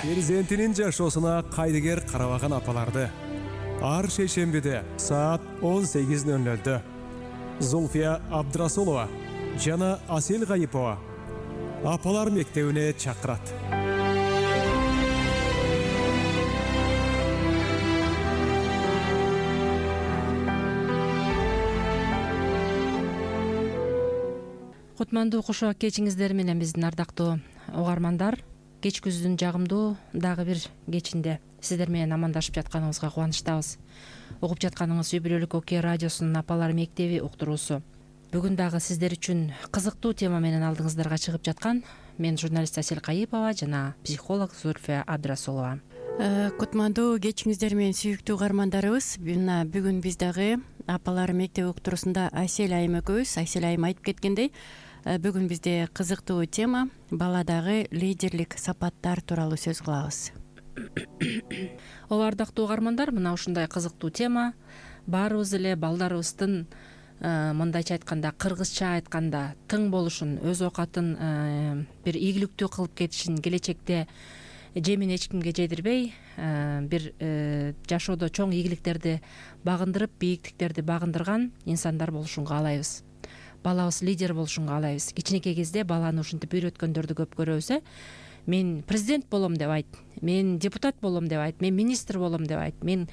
Перзентинин жашоосуна кайдыгер карабаган апаларды ар шейшембиде саат 18:00 Зульфия Абдрасулова жана Асел Гайипова апалар мектебине чакырат. Кутмандуу кошо кечиңиздер менен биздин ардактуу угармандар, кеч күздүн жагымдуу дагы бир кечинде сиздер менен амандашып жатканыбызга кубанычтабыз. Угуп жатканыңыз үй бүлөлүк Окуя радиосунун апалар мектеби уктуруусу. Бүгүн дагы сиздер үчүн кызыктуу тема менен алдыңыздарга чыгып жаткан мен журналист Асел Гайипова жана психолог Зульфия Абдрасулова. Кутмандуу кечиңиздер менен сүйүктүү угармандарыбыз. Бүгүн биз дагы апалар мектеби уктуруусунда Асел айым экөөбүз. Асел айым айтып кеткендей, бүгүн бизде кызыктуу тема баладагы лидерлик сапаттар тууралуу сөз кылабыз. Ооба, ардактуу угармандар, мына ушундай кызыктуу тема баарыбыз эле балдарыбыздын мындайча айтканда, кыргызча айтканда тың болушун, өз оокатын бир ийгиликтүү кылып кетишин, келечекте жемин эч кимге жедирбей бир жашоодо чоң ийгиликтерди багындырып, бийиктиктерди багындырган инсандар болушун каалайбыз. Балабыз лидер болушун каалайбыз. Кичинекей кезде баланы ушинтип үйрөткөндөрдү көп көрөбүз. Мен президент болом деп айт, мен депутат болом деп айт, мен министр болом деп айт, мен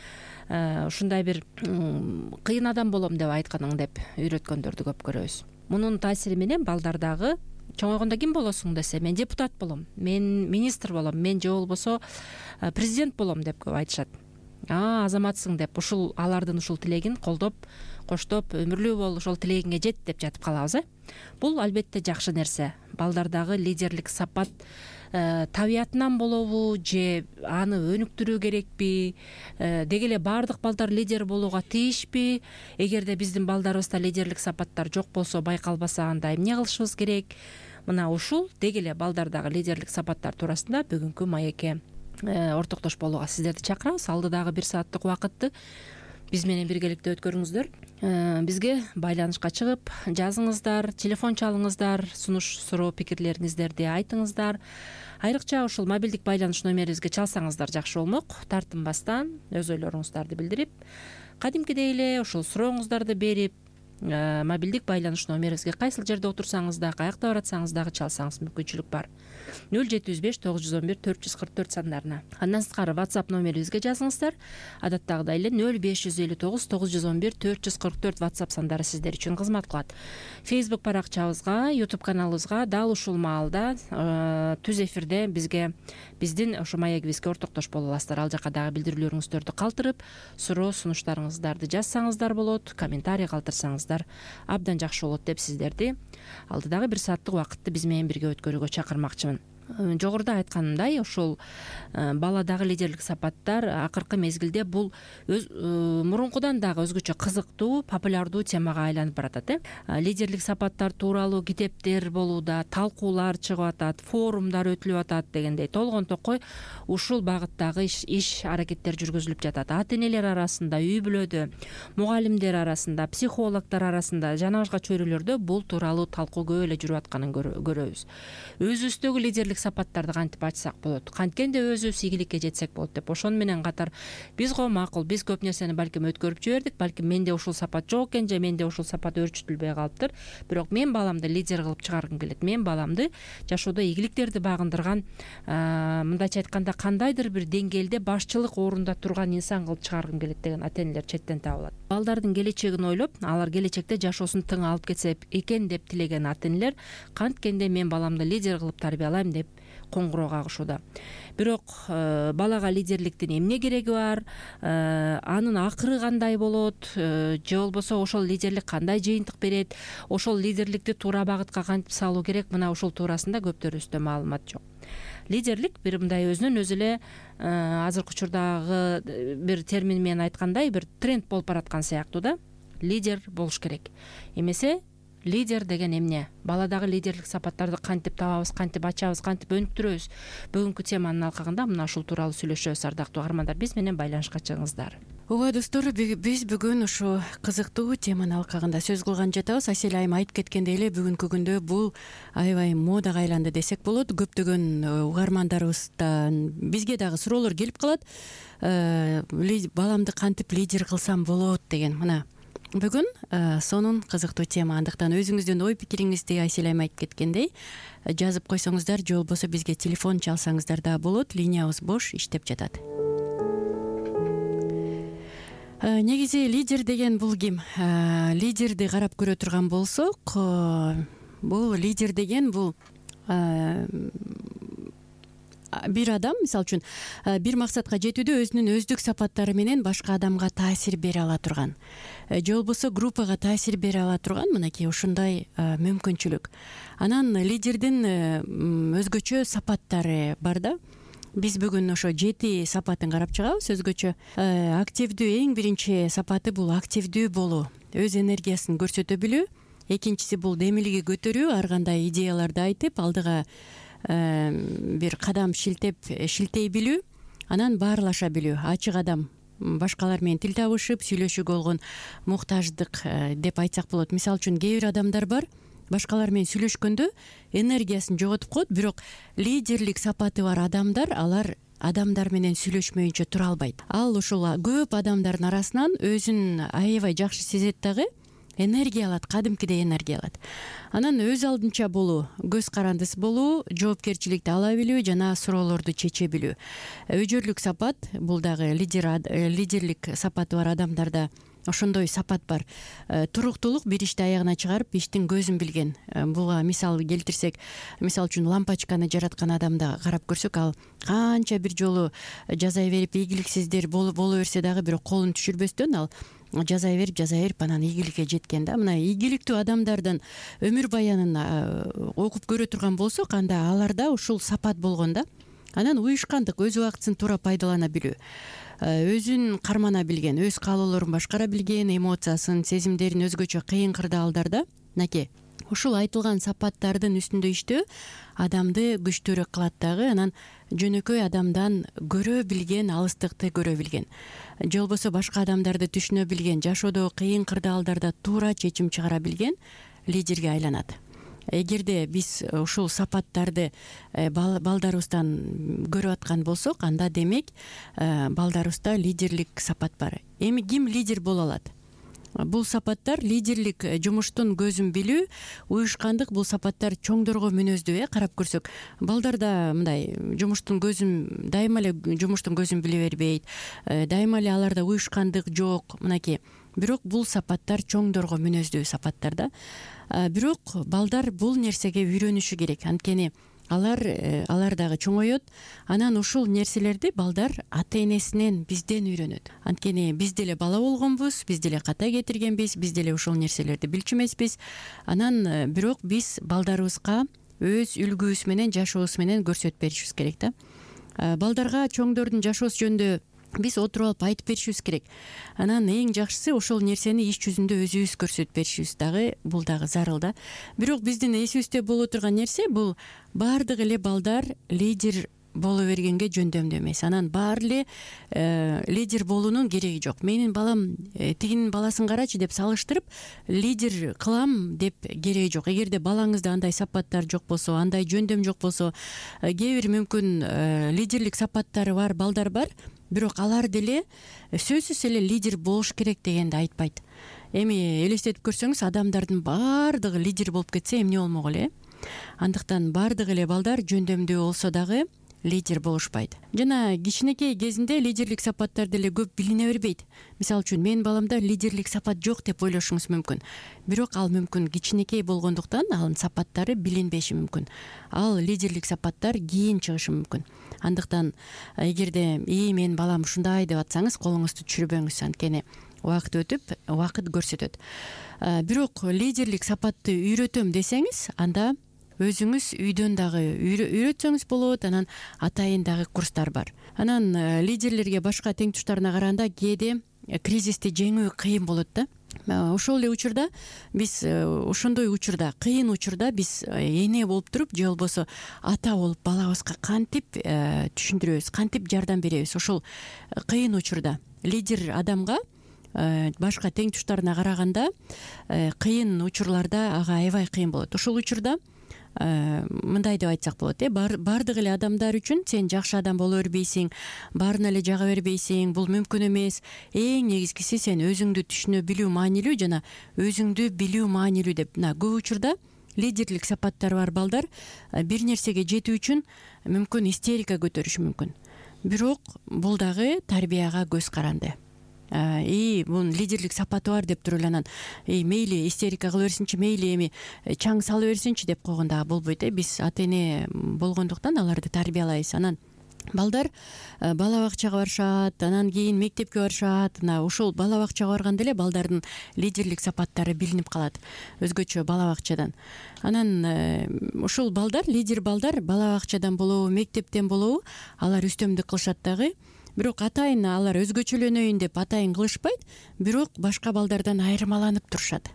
ушундай бир кыйын адам болом деп айтканың деп үйрөткөндөрдү көп көрөбүз. Мунун таасири менен балдар дагы чоңойгондо ким болосуң десе, мен депутат болом, мен министр болом, мен же болбосо президент болом деп көп айтышат. Азаматсың деп ушул алардын ушул тилегин колдоп, коштоп, өмүрлүү бол, ошол тилегиңе жет деп жатып калабыз. Бул албетте жакшы нерсе. Балдардагы лидерлик сапат табиятынан болобу же аны өнүктүрүү керекпи? Деги эле баардык балдар лидер болууга тийишпи? Эгерде биздин балдарыбызда лидерлик сапаттар жок болсо, байкалбаса, анда эмне кылышыбыз керек? Мына ушул деги эле балдардагы лидерлик сапаттар туурасында бүгүнкү маекке ортоктош болууга сиздерди чакырабыз. Алдыдагы 1 сааттык убакытты биз менен биргеликте өткөрүңүздөр. Бизге байланышка чыгып жазыңыздар, телефон чалыңыздар, сунуш, суроо, пикирлериңиздерди айтыңыздар. Айрыкча ушул мобилдик байланыш номерибизге чалсаңыздар жакшы болмок. Тартынбастан өз ойлоруңуздарды билдирип, кадимкидей эле ушул сурооңуздарды берип, мобилдик байланыш номерибизге кайсыл жерде отурсаңыз да, каякта баратсаңыз дагы чалсаңыз мүмкүнчүлүк бар. 0705 911 444 сандарына. Андан сырткары WhatsApp номерибизге жазыңыздар. Адаттагыдай эле 0559 911 444 WhatsApp сандары сиздер үчүн кызмат кылат. Facebook баракчабызга, YouTube каналыбызга дал ушул маалда түз эфирде бизге биздин ошо маегибизге ортоктош боло аласыздар. Ал жака дагы билдирүүлөрүңүздөрдү калтырып, суроо, сунуштарыңыздарды жазсаңыздар болот, комментарий калтырсаңыз абдан жакшы болот деп сиздерди алдыдагы 1 сааттык убакытты биз менен бирге өткөрүүгө чакырмакчымын. Жогоруда айтканымдай, ошол баладагы лидерлик сапаттар акыркы мезгилде бул мурункудан дагы өзгөчө кызыктуу, популярдуу темага айланып баратат. Лидерлик сапаттар тууралуу китептер болууда, талкуулар чыгып атат, форумдар өтүлүп атат дегендей толгон токой ушул багыттагы иш аракеттер жүргүзүлүп жатат. Ата-энелер арасында, үй бүлөдө, мугалимдер арасында, психологдор арасында, жана башка чөйрөлөрдө бул тууралуу талкуу көп эле жүрүп атканын көрөбүз. Өзүбүздөгү лидерлик сапаттарды кантип ачсак болот, канткенде өзүбүз ийгиликке жетсек болот деп. Ошону менен катар биз макул, биз көп нерсени балким өткөрүп жибердик, балким менде ушул сапат жок экен же менде ушул сапат өөрчүтүлбөй калыптыр. Бирок мен баламды лидер кылып чыгаргым келет. Мен баламды жашоодо ийгиликтерди багындырган, мындайча айтканда кандайдыр бир деңгээлде башчылык орунда турган инсан кылып чыгаргым келет деген ата-энелер четтен табылат. Балдардын келечегин ойлоп, алар келечекте жашоосун тың алып кетсе экен деп тилеген ата-энелер канткенде мен баламды лидер кылып тарбиялайм деп коңгуроо кагышууда. Бирок балага лидерликтин эмне кереги бар, анын акыры кандай болот, же болбосо ошол лидерлик кандай жыйынтык берет, ошол лидерликти туура багытка кантип салуу керек, мына ушул туурасында көптөрүбүздө маалымат жок. Лидерлик бир мындай өзүнөн өзү эле азыркы учурдагы бир термин менен айткандай бир тренд болуп бараткан сыяктуу да. Лидер болуш керек. Эмесе лидер деген эмне? Баладагы лидерлик сапаттарды кантип табабыз, кантип ачабыз, кантип өнүктүрөбүз? Бүгүнкү теманын алкагында мына ушул тууралуу сүйлөшөбүз, ардактуу угармандар. Биз менен байланышка чыгыңыздар. ооба достор, биз бүгүн ушу кызыктуу теманын алкагында сөз кылган жатабыз. Асель айым айтып кеткендей эле бүгүнкү күндө бул аябай модага айланды десек болот. Көптөгөн угармандарыбыздан бизге дагы суроолор келип калат. Баламды кантип лидер кылсам болот деген. Мына бүгүн сонун кызыктуу тема. Андыктан өзүңүздүн ой пикириңизди Асель айым айтып кеткендей жазып койсоңуздар же болбосо бизге телефон чалсаңыздар да болот. Линиябыз бош, иштеп жатат. Негизи лидер деген бул ким? Лидерди карап көрө турган болсок, бул лидер деген бул бир адам, мисалы үчүн, бир максатка жетүүдө өзүнүн өздүк сапаттары менен башка адамга таасир бере ала турган, же болбосо группага таасир бере ала турган мынакей ушундай мүмкүнчүлүк. Анан лидердин өзгөчө сапаттары бар да. Биз бүгүн ошо 7 сапатын карап чыгабыз. Өзгөчө активдүү, эң биринчи сапаты бул активдүү болуу, өз энергиясын көрсөтө билүү. Экинчиси бул демилиги көтөрүү, ар кандай идеяларды айтып, алдыга бир кадам шилтей билүү, анан баарлаша билүү. Ачык адам, башкалар менен тил табышып, сүйлөшүүгө болгон муктаждык деп айтсак болот. Мисалы үчүн, кээ бир адамдар бар, башкалар менен сүйлөшкөндө энергиясын жоготуп коет, бирок лидерлик сапаты бар адамдар, алар адамдар менен сүйлөшмөйүнчө тура албайт. Ал ушул көп адамдардын арасынан өзүн аябай жакшы сезет дагы, энергия алат, кадимкидей энергия алат. Анан өз алдынча болуу, көз карандысы болуу, жоопкерчиликти ала билүү жана суроолорду чече билүү. Өжөрлүк сапат, бул дагы лидерлик сапаты бар адамдарда ошондой сапат бар. Туруктуулук, бир ишти аягына чыгарып, иштин көзүн билген. Буга мисал келтирсек, мисалы үчүн лампочканы жараткан адамды карап көрсөк, ал канча бир жолу жазай берип, ийгиликсиздер боло берсе дагы, бирок колун түшүрбөстөн ал жазай берип анан ийгиликке жеткен да. Мына ийгиликтүү адамдардын өмүр баянын окуп көрө турган болсок, анда аларда ушул сапат болгон да. Анан уюшкандык, өз убактысын туура пайдалана билүү, өзүн кармана билген, өз каалоолорун башкара билген, эмоциясын, сезимдерин өзгөчө кыйын кырдаалдарда мынакей ушул айтылган сапаттардын үстүндө иштөө адамды күчтүүрөөк кылат дагы. Анан жөнөкөй адамдан көрө билген, алыстыкты көрө билген, же болбосо башка адамдарды түшүнө билген, жашоодо кыйын кырдаалдарда туура чечим чыгара билген лидерге айланат. Эгерде биз ушул сапаттарды балдарыбыздан көрүп аткан болсок, анда демек балдарыбызда лидерлик сапат бар. Эми ким лидер боло алат? Бул сапаттар лидерлик жумуштун көзүн билүү, уюшкандык, бул сапаттар чоңдорго мүнөздүү. Карап көрсөк, балдарда мындай жумуштун көзүн, дайыма эле жумуштун көзүн биле бербейт, дайыма эле аларда уюшкандык жок, мынакей. Бирок бул сапаттар чоңдорго мүнөздүү сапаттар да. Бирок балдар бул нерсеге үйрөнүшү керек. Анткени алар дагы чоңойот. Анан ушул нерселерди балдар ата энесинен, бизден үйрөнөт. Анткени биз деле бала болгонбуз, биз деле ката кетиргенбиз, биз деле ушул нерселерди билчү эмеспиз. Анан бирок биз балдарыбызга өз үлгүбүз менен, жашообуз менен көрсөтүп беришибиз керек да. Балдарга чоңдордун жашоосу жөнүндө биз отуруп алып айтып беришибиз керек. Анан эң жакшысы ошол нерсени иш жүзүндө өзүбүз көрсөтүп беришибиз дагы, бул дагы зарыл да. Бирок биздин эсибизде боло турган нерсе, бул баардык эле балдар лидер боло бергенге жөндөмдүү эмес. Анан баары эле лидер болуунун кереги жок. Менин балам тигинин баласын карачы деп салыштырып лидер кылам деп кереги жок. Эгерде балаңызда андай сапаттар жок болсо, андай жөндөм жок болсо, кээ бир мүмкүн лидерлик сапаттары бар балдар бар, бирок алар деле сөзсүз эле лидер болуш керек дегенди айтпайт. Эми элестетип көрсөңүз, адамдардын баардыгы лидер болуп кетсе эмне болмок эле? Андыктан баардык эле балдар жөндөмдүү болсо дагы лидер болушпайт. Жана кичинекей кезинде лидерлик сапаттар деле көп билине бербейт. Мисалы үчүн, менин баламда лидерлик сапат жок деп ойлошуңуз мүмкүн. Бирок ал мүмкүн кичинекей болгондуктан анын сапаттары билинбеши мүмкүн. Ал лидерлик сапаттар кийин чыгышы мүмкүн. Андыктан эгерде менин балам ушундай деп атсаңыз, колуңузду түшүрбөңүз, анткени убакыт өтүп, убакыт көрсөтөт. Бирок лидерлик сапатты үйрөтөм десеңиз, анда өзүңүз үйдөн дагы үйрөтсөңүз болот. Анан атайын дагы курстар бар. Анан лидерлерге башка тең туштарына караганда кээде кризисти жеңүү кыйын болот да. ошол эле учурда биз ошондой учурда, кыйын учурда биз эне болуп туруп же болбосо ата болуп балабызга кантип түшүндүрөбүз, кантип жардам беребиз? Ошол кыйын учурда лидер адамга башка тең туштарына караганда кыйын учурларда ага аябай кыйын болот. Ошол учурда мындай деп айтсак болот, баардык эле адамдар үчүн сен жакшы адам боло бербейсиң, баарына эле жага бербейсиң, бул мүмкүн эмес. Эң негизгиси сен өзүңдү түшүнө билүү маанилүү жана өзүңдү билүү маанилүү деп. Көп учурда лидерлик сапаттары бар балдар бир нерсеге жетүү үчүн мүмкүн истерика көтөрүшү мүмкүн. Бирок бул дагы тарбияга көз каранды. Бунун лидерлик сапаты бар деп туруп эле анан мейли истерика кыла берсинчи, мейли эми чаң сала берсинчи деп койгон дагы болбойт. Биз ата эне болгондуктан аларды тарбиялайбыз. Анан балдар бала бакчага барышат, анан кийин мектепке барышат. Ошол бала бакчага барганда эле балдардын лидерлик сапаттары билинип калат өзгөчө бала бакчадан. Анан ошол балдар, лидер балдар бала бакчадан болобу, мектептен болобу, алар үстөмдүк кылышат дагы. Бирок атайын алар өзгөчөлөнөйүн деп атайын кылышпайт, бирок башка балдардан айырмаланып турушат.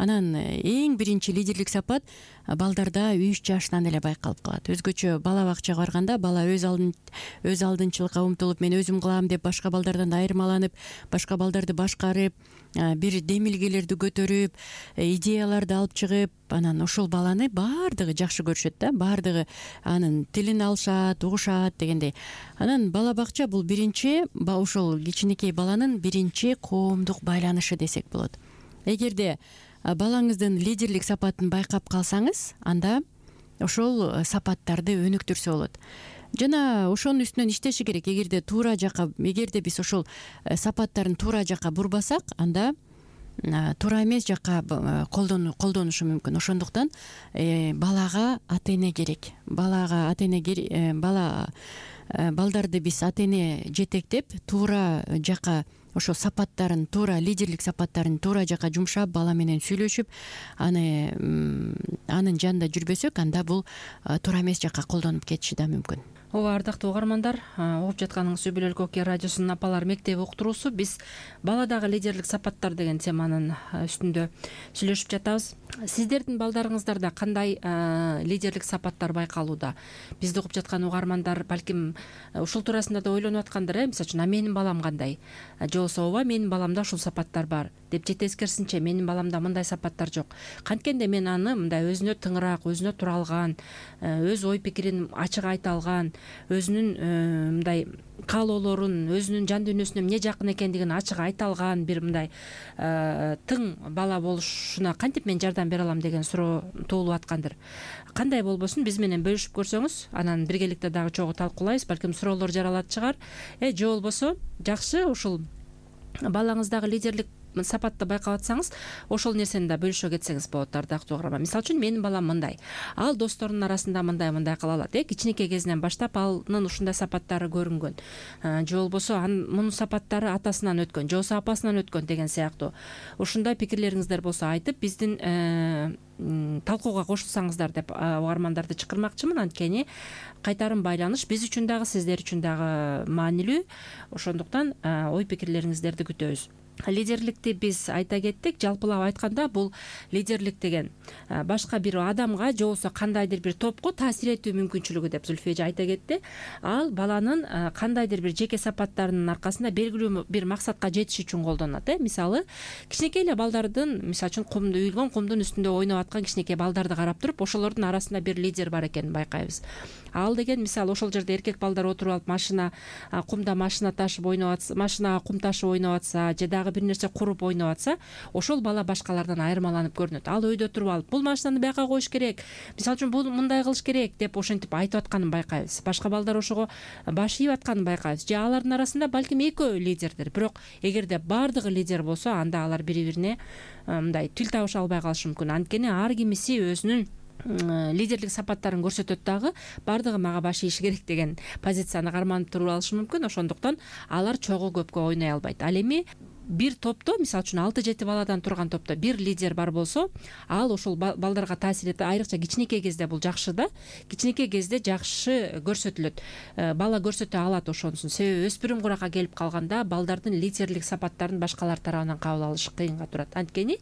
Анан эң биринчи лидерлик сапат балдарда 3 жашынан эле байкалып калат. Өзгөчө бала бакчага барганда бала өз алдынчылыкка умтулуп, мен өзүм кылам деп башка балдардан айырмаланып, башка балдарды башкарып, бир демилгелерди көтөрүп, идеяларды алып чыгып, анан ошол баланы баардыгы жакшы көрүшөт да, баардыгы анын тилин алышат, угушат дегендей. Анан бала бакча бул биринчи ошол кичинекей баланын биринчи коомдук байланышы десек болот. Эгерде балаңыздын лидерлик сапатын байкап калсаңыз, анда ошол сапаттарды өнүктүрсө болот. Жана ошонун үстүнөн иштеши керек. Эгерде биз ошол сапаттарын туура жакка бурбасак, анда туура эмес жакка колдонушу мүмкүн. Ошондуктан балага ата эне керек. Балдарды биз ата эне жетектеп, туура жакка ошол сапаттарын, туура лидерлик сапаттарын туура жакка жумшап, бала менен сүйлөшүп, анын жанында жүрбөсөк, анда бул туура эмес жакка колдонуп кетиши да мүмкүн. Ооба, ардактуу угармандар, угуп жатканыңыз Үй Бүлөлүк Окуя радиосунун Апалар мектеби уктуруусу. Биз баладагы лидерлик сапаттар деген теманын үстүндө сүйлөшүп жатабыз. Сиздердин балдарыңыздарда кандай лидерлик сапаттар байкалууда? Бизди угуп жаткан угармандар балким ушул туурасында да ойлонуп аткандар, мисалы үчүн, менин балам кандай? Же болбосо, ооба, менин баламда ушул сапаттар бар деп же тескерисинче, менин баламда мындай сапаттар жок. Канткенде мен аны мындай өзүнө тыңыраак, өзүнө тура алган, өз ой пикирин ачык айта алган, өзүнүн мындай каалоолорун, өзүнүн жан дүйнөсүнө эмне жакын экендигин ачык айта алган бир мындай тың бала болушуна кантип мен жардам бере алам деген суроо туулуп аткандыр. Кандай болбосун, биз менен бөлүшүп көрсөңүз, анан биргеликте дагы чогуу талкуулайбыз, балким суроолор жаралат чыгар. Же болбосо, жакшы, ушул балаңыздагы лидерлик сапатты байкап атсаңыз, ошол нерсени да бөлүшө кетсеңиз болот, ардактуу угарман. Мисалы үчүн, менин балам мындай, ал досторунун арасында мындай кыла алат. Кичинекей кезинен баштап анын ушундай сапаттары көрүнгөн. Же болбосо, мунун сапаттары атасынан өткөн, же болбосо апасынан өткөн деген сыяктуу. Ушундай пикирлериңиздер болсо айтып, биздин талкууга кошулсаңыздар деп угармандарды чакырмакчымын. Анткени кайтарым байланыш биз үчүн дагы, сиздер үчүн дагы маанилүү. Ошондуктан ой пикирлериңиздерди күтөбүз. Лидерликти биз айта кеттик. Жалпылап айтканда, бул лидерлик деген башка бир адамга же болбосо кандайдыр бир топко таасир этүү мүмкүнчүлүгү деп Зүлфия эже айта кетти. Ал баланын кандайдыр бир жеке сапаттарынын аркасында белгилүү бир максатка жетиш үчүн колдонулат. Мисалы, кичинекей эле балдардын, мисалы үчүн, үйүлгөн кумдун үстүндө ойноп аткан кичинекей балдарды карап туруп, ошолордун арасында бир лидер бар экенин байкайбыз. Ал деген, мисалы, ошол жерде эркек балдар отуруп алып кумда машина ташып ойноп атса, машинага кум ташып ойноп атса, же дагы бир нерсе куруп ойноп атса, ошол бала башкалардан айырмаланып көрүнөт. Ал өйдө туруп алып, бул машинаны бияка коюш керек, мисалы үчүн, бул мындай кылыш керек деп ошентип айтып атканын байкайбыз. Башка балдар ошого баш ийип атканын байкайбыз. Же алардын арасында балким экөө лидердир. Бирок эгерде баардыгы лидер болсо, анда алар бири-бирине мындай тил табыша албай калышы мүмкүн. Анткени ар кимиси өзүнүн лидерлик сапаттарын көрсөтөт дагы, баардыгы мага баш ийиши керек деген позицияны карманып туруп алышы мүмкүн. Ошондуктан алар чогуу көпкө ойной албайт. Ал эми бир топто, мисалы үчүн 6-7 баладан турган топто бир лидер бар болсо, ал ошол балдарга таасир этет. Айрыкча кичинекей кезде бул жакшы да. Кичинекей кезде жакшы көрсөтүлөт. Бала көрсөтө алат ошонусун. Себеби өспүрүм куракка келип калганда балдардын лидерлик сапаттарын башкалар тарабынан кабыл алыш кыйынга турат. Анткени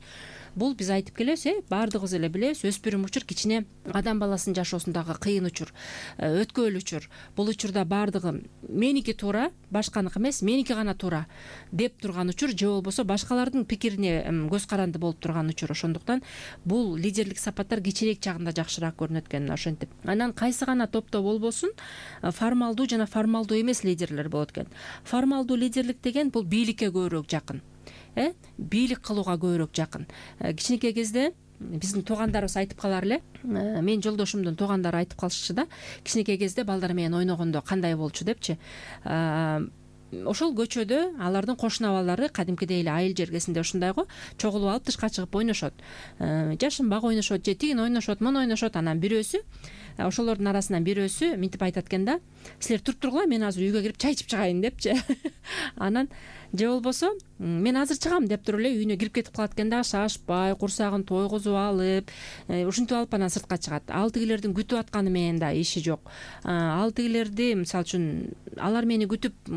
бул биз айтып келебиз, баардыгыбыз эле билебиз, өспүрүм учур кичине адам баласынын жашоосундагы кыйын учур, өткөөл учур. Бул учурда баардыгы меники туура, башканыкы эмес, меники гана туура деп турган учур, же болбосо башкалардын пикирине көз каранды болуп турган учур. Ошондуктан бул лидерлик сапаттар кичирээк чагында жакшыраак көрүнөт экен. Ошентип анан кайсы гана топто болбосун, формалдуу жана формалдуу эмес лидерлер болот экен. Формалдуу лидерлик деген бул бийликке көбүрөөк жакын. Бийлик кылууга көбүрөөк жакын. Кичинекей кезде биздин туугандарыбыз айтып калар эле, менин жолдошумдун туугандары айтып калышчу да, кичинекей кезде балдар менен ойногондо кандай болчу депчи. Ошол көчөдө алардын кошуна балдары кадимкидей эле айыл жергесинде ушундай го чогулуп алып тышка чыгып ойношот. Жашынбак ойношот, же тигин ойношот, муну ойношот. Анан бирөөсү, ошолордун арасынан бирөөсү минтип айтат экен да: силер туруп тургула, мен азыр үйгө кирип чай ичип чыгайын депчи. Анан же болбосо мен азыр чыгам деп туруп эле үйүнө кирип кетип калат экен да, шашпай, курсагын тойгузуп алып, ушинтип алып анан сыртка чыгат. Ал тигилердин күтүп атканы менен да иши жок. Ал тигилерди, мисалы үчүн, алар мени күтүп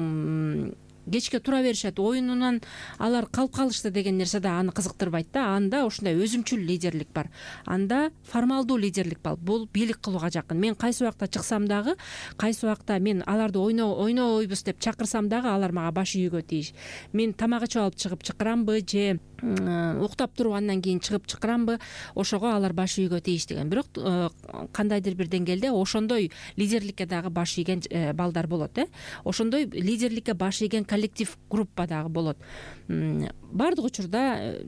кечке тура беришет, оюнунан алар калып калышты деген нерсе да аны кызыктырбайт да. Анда ушундай өзүмчүл лидерлик бар. Анда формалдуу лидерлик бар. Бул бийлик кылууга жакын. Мен кайсы убакта чыксам дагы, кайсы убакта мен аларды ойнойбуз деп чакырсам дагы, алар мага баш ийүүгө тийиш. Мен тамак ичип алып чыгып чакырамбы, же уктап туруп андан кийин чыгып чакырамбы, ошого алар баш ийүүгө тийиш деген. Бирок кандайдыр бир деңгээлде ошондой лидерликке дагы баш ийген балдар болот. Ошондой лидерликке баш ийген коллектив, группа дагы болот. Баардык учурда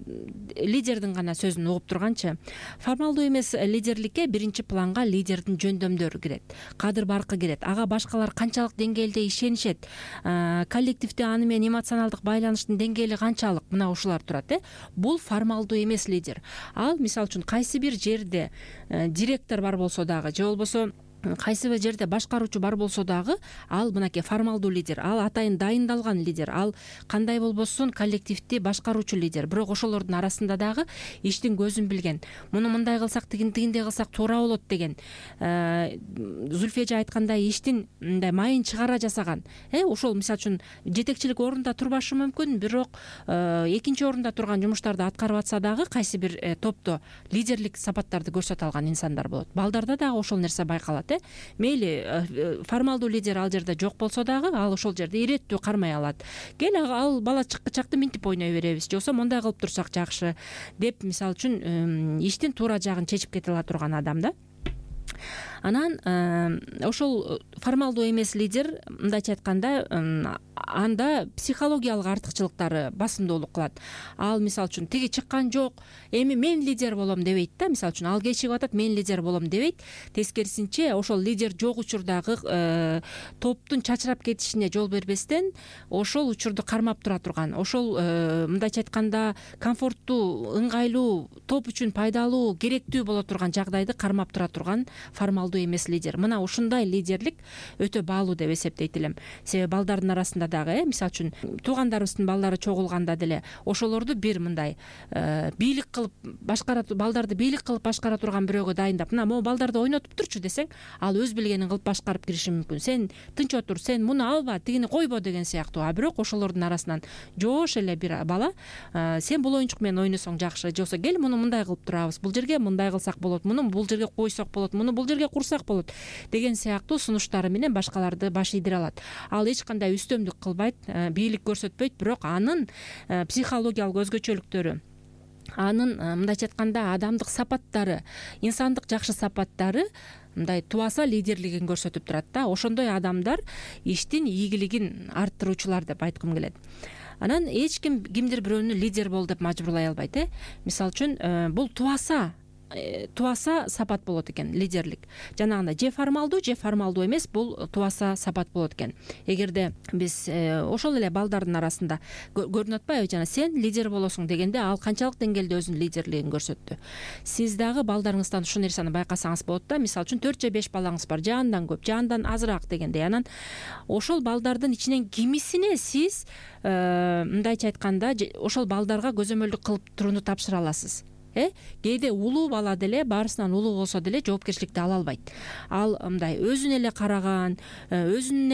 лидердин гана сөзүн угуп турганчы, формалдуу эмес лидерликке биринчи планга лидердин жөндөмдөрү кирет, кадыр баркы кирет, ага башкалар канчалык деңгээлде ишенишет, коллективде аны менен эмоционалдык байланыштын деңгээли канчалык, мына ушулар турат. Бул формалдуу эмес лидер. Ал мисалы үчүн кайсы бир жерде директор бар болсо дагы, же болбосо кайсы бир жерде башкаруучу бар болсо дагы, ал мынакей формалдуу лидер. Ал атайын дайындалган лидер. Ал кандай болбосун коллективди башкаруучу лидер. Бирок ошолордун арасында дагы иштин көзүн билген, муну мындай кылсак, тигиндей кылсак туура болот деген, Зүлфия эже айткандай иштин мындай майын чыгара жасаган. Ошол мисалы үчүн жетекчилик орунда турбашы мүмкүн, бирок экинчи орунда турган жумуштарды аткарып атса дагы кайсы бир топто лидерлик сапаттарды көрсөтө алган инсандар болот. Балдарда дагы ошол нерсе байкалат. Мейли формалдуу лидер ал жерде жок болсо дагы, ал ошол жерде иреттүү кармай алат. Кел, ал бала чакты минтип ойной беребиз, же болбосо мындай кылып турсак жакшы деп, мисалы үчүн иштин туура жагын чечип кете ала турган адам да. Анан ошол формалдуу эмес лидер, мындайча айтканда, анда психологиялык артыкчылыктары басымдуулук кылат. Ал мисалы үчүн тиги чыккан жок, эми мен лидер болом дебейт да. Мисалы үчүн ал кечигип атат, мен лидер болом дебейт. Тескерисинче, ошол лидер жок учурдагы топтун чачырап кетишине жол бербестен, ошол учурду кармап тура турган, ошол мындайча айтканда комфорттуу, ыңгайлуу, топ үчүн пайдалуу, керектүү боло турган жагдайды кармап тура турган формалдуу эмес лидер. Мына ушундай лидерлик өтө баалуу деп эсептейт элем. Себеби балдардын арасында дагы, мисалы үчүн туугандарыбыздын балдары чогулганда деле ошолорду бир мындай бийлик кылып башкара, балдарды бийлик кылып башкара турган бирөөгө дайындап, мына могу балдарды ойнотуп турчу десең, ал өз билгенин кылып башкарып кириши мүмкүн. Сен тынч отур, сен муну алба, тигини койбо деген сыяктуу. А бирок ошолордун арасынан жоош эле бир бала, сен бул оюнчук менен ойносоң жакшы, же болбосо кел муну мындай кылып турабыз, бул жерге мындай кылсак болот, муну бул жерге койсок болот, муну бул жерге курсак болот деген сыяктуу сунуштары менен башкаларды баш ийдире алат. Ал эч кандай үстөмдүк кылбайт, бийлик көрсөтпөйт, бирок анын психологиялык өзгөчөлүктөрү, анын мындайча айтканда адамдык сапаттары, инсандык жакшы сапаттары мындай тубаса лидерлигин көрсөтүп турат да. Ошондой адамдар иштин ийгилигин арттыруучулар деп айткым келет. Анан эч ким кимдир бирөөнү лидер бол деп мажбурлай албайт. Мисалы үчүн бул тубаса тубаса сапат болот экен лидерлик. Жанагындай же формалдуу эмес, бул тубаса сапат болот экен. Эгерде биз ошол эле балдардын арасында көрүнүп атпайбы, жана сен лидер болосуң дегенде ал канчалык деңгээлде өзүнүн лидерлигин көрсөттү. Сиз дагы балдарыңыздан ушул нерсени байкасаңыз болот да. Мисалы үчүн 4 же 5 балаңыз бар, же андан көп, же андан азыраак дегендей. Анан ошол балдардын ичинен кимисине сиз мындайча айтканда ошол балдарга көзөмөлдүк кылып турууну тапшыра аласыз. Кээде улуу бала деле, баарысынан улуу болсо деле жоопкерчиликти ала албайт. Ал мындай өзүнө эле караган, өзүнүн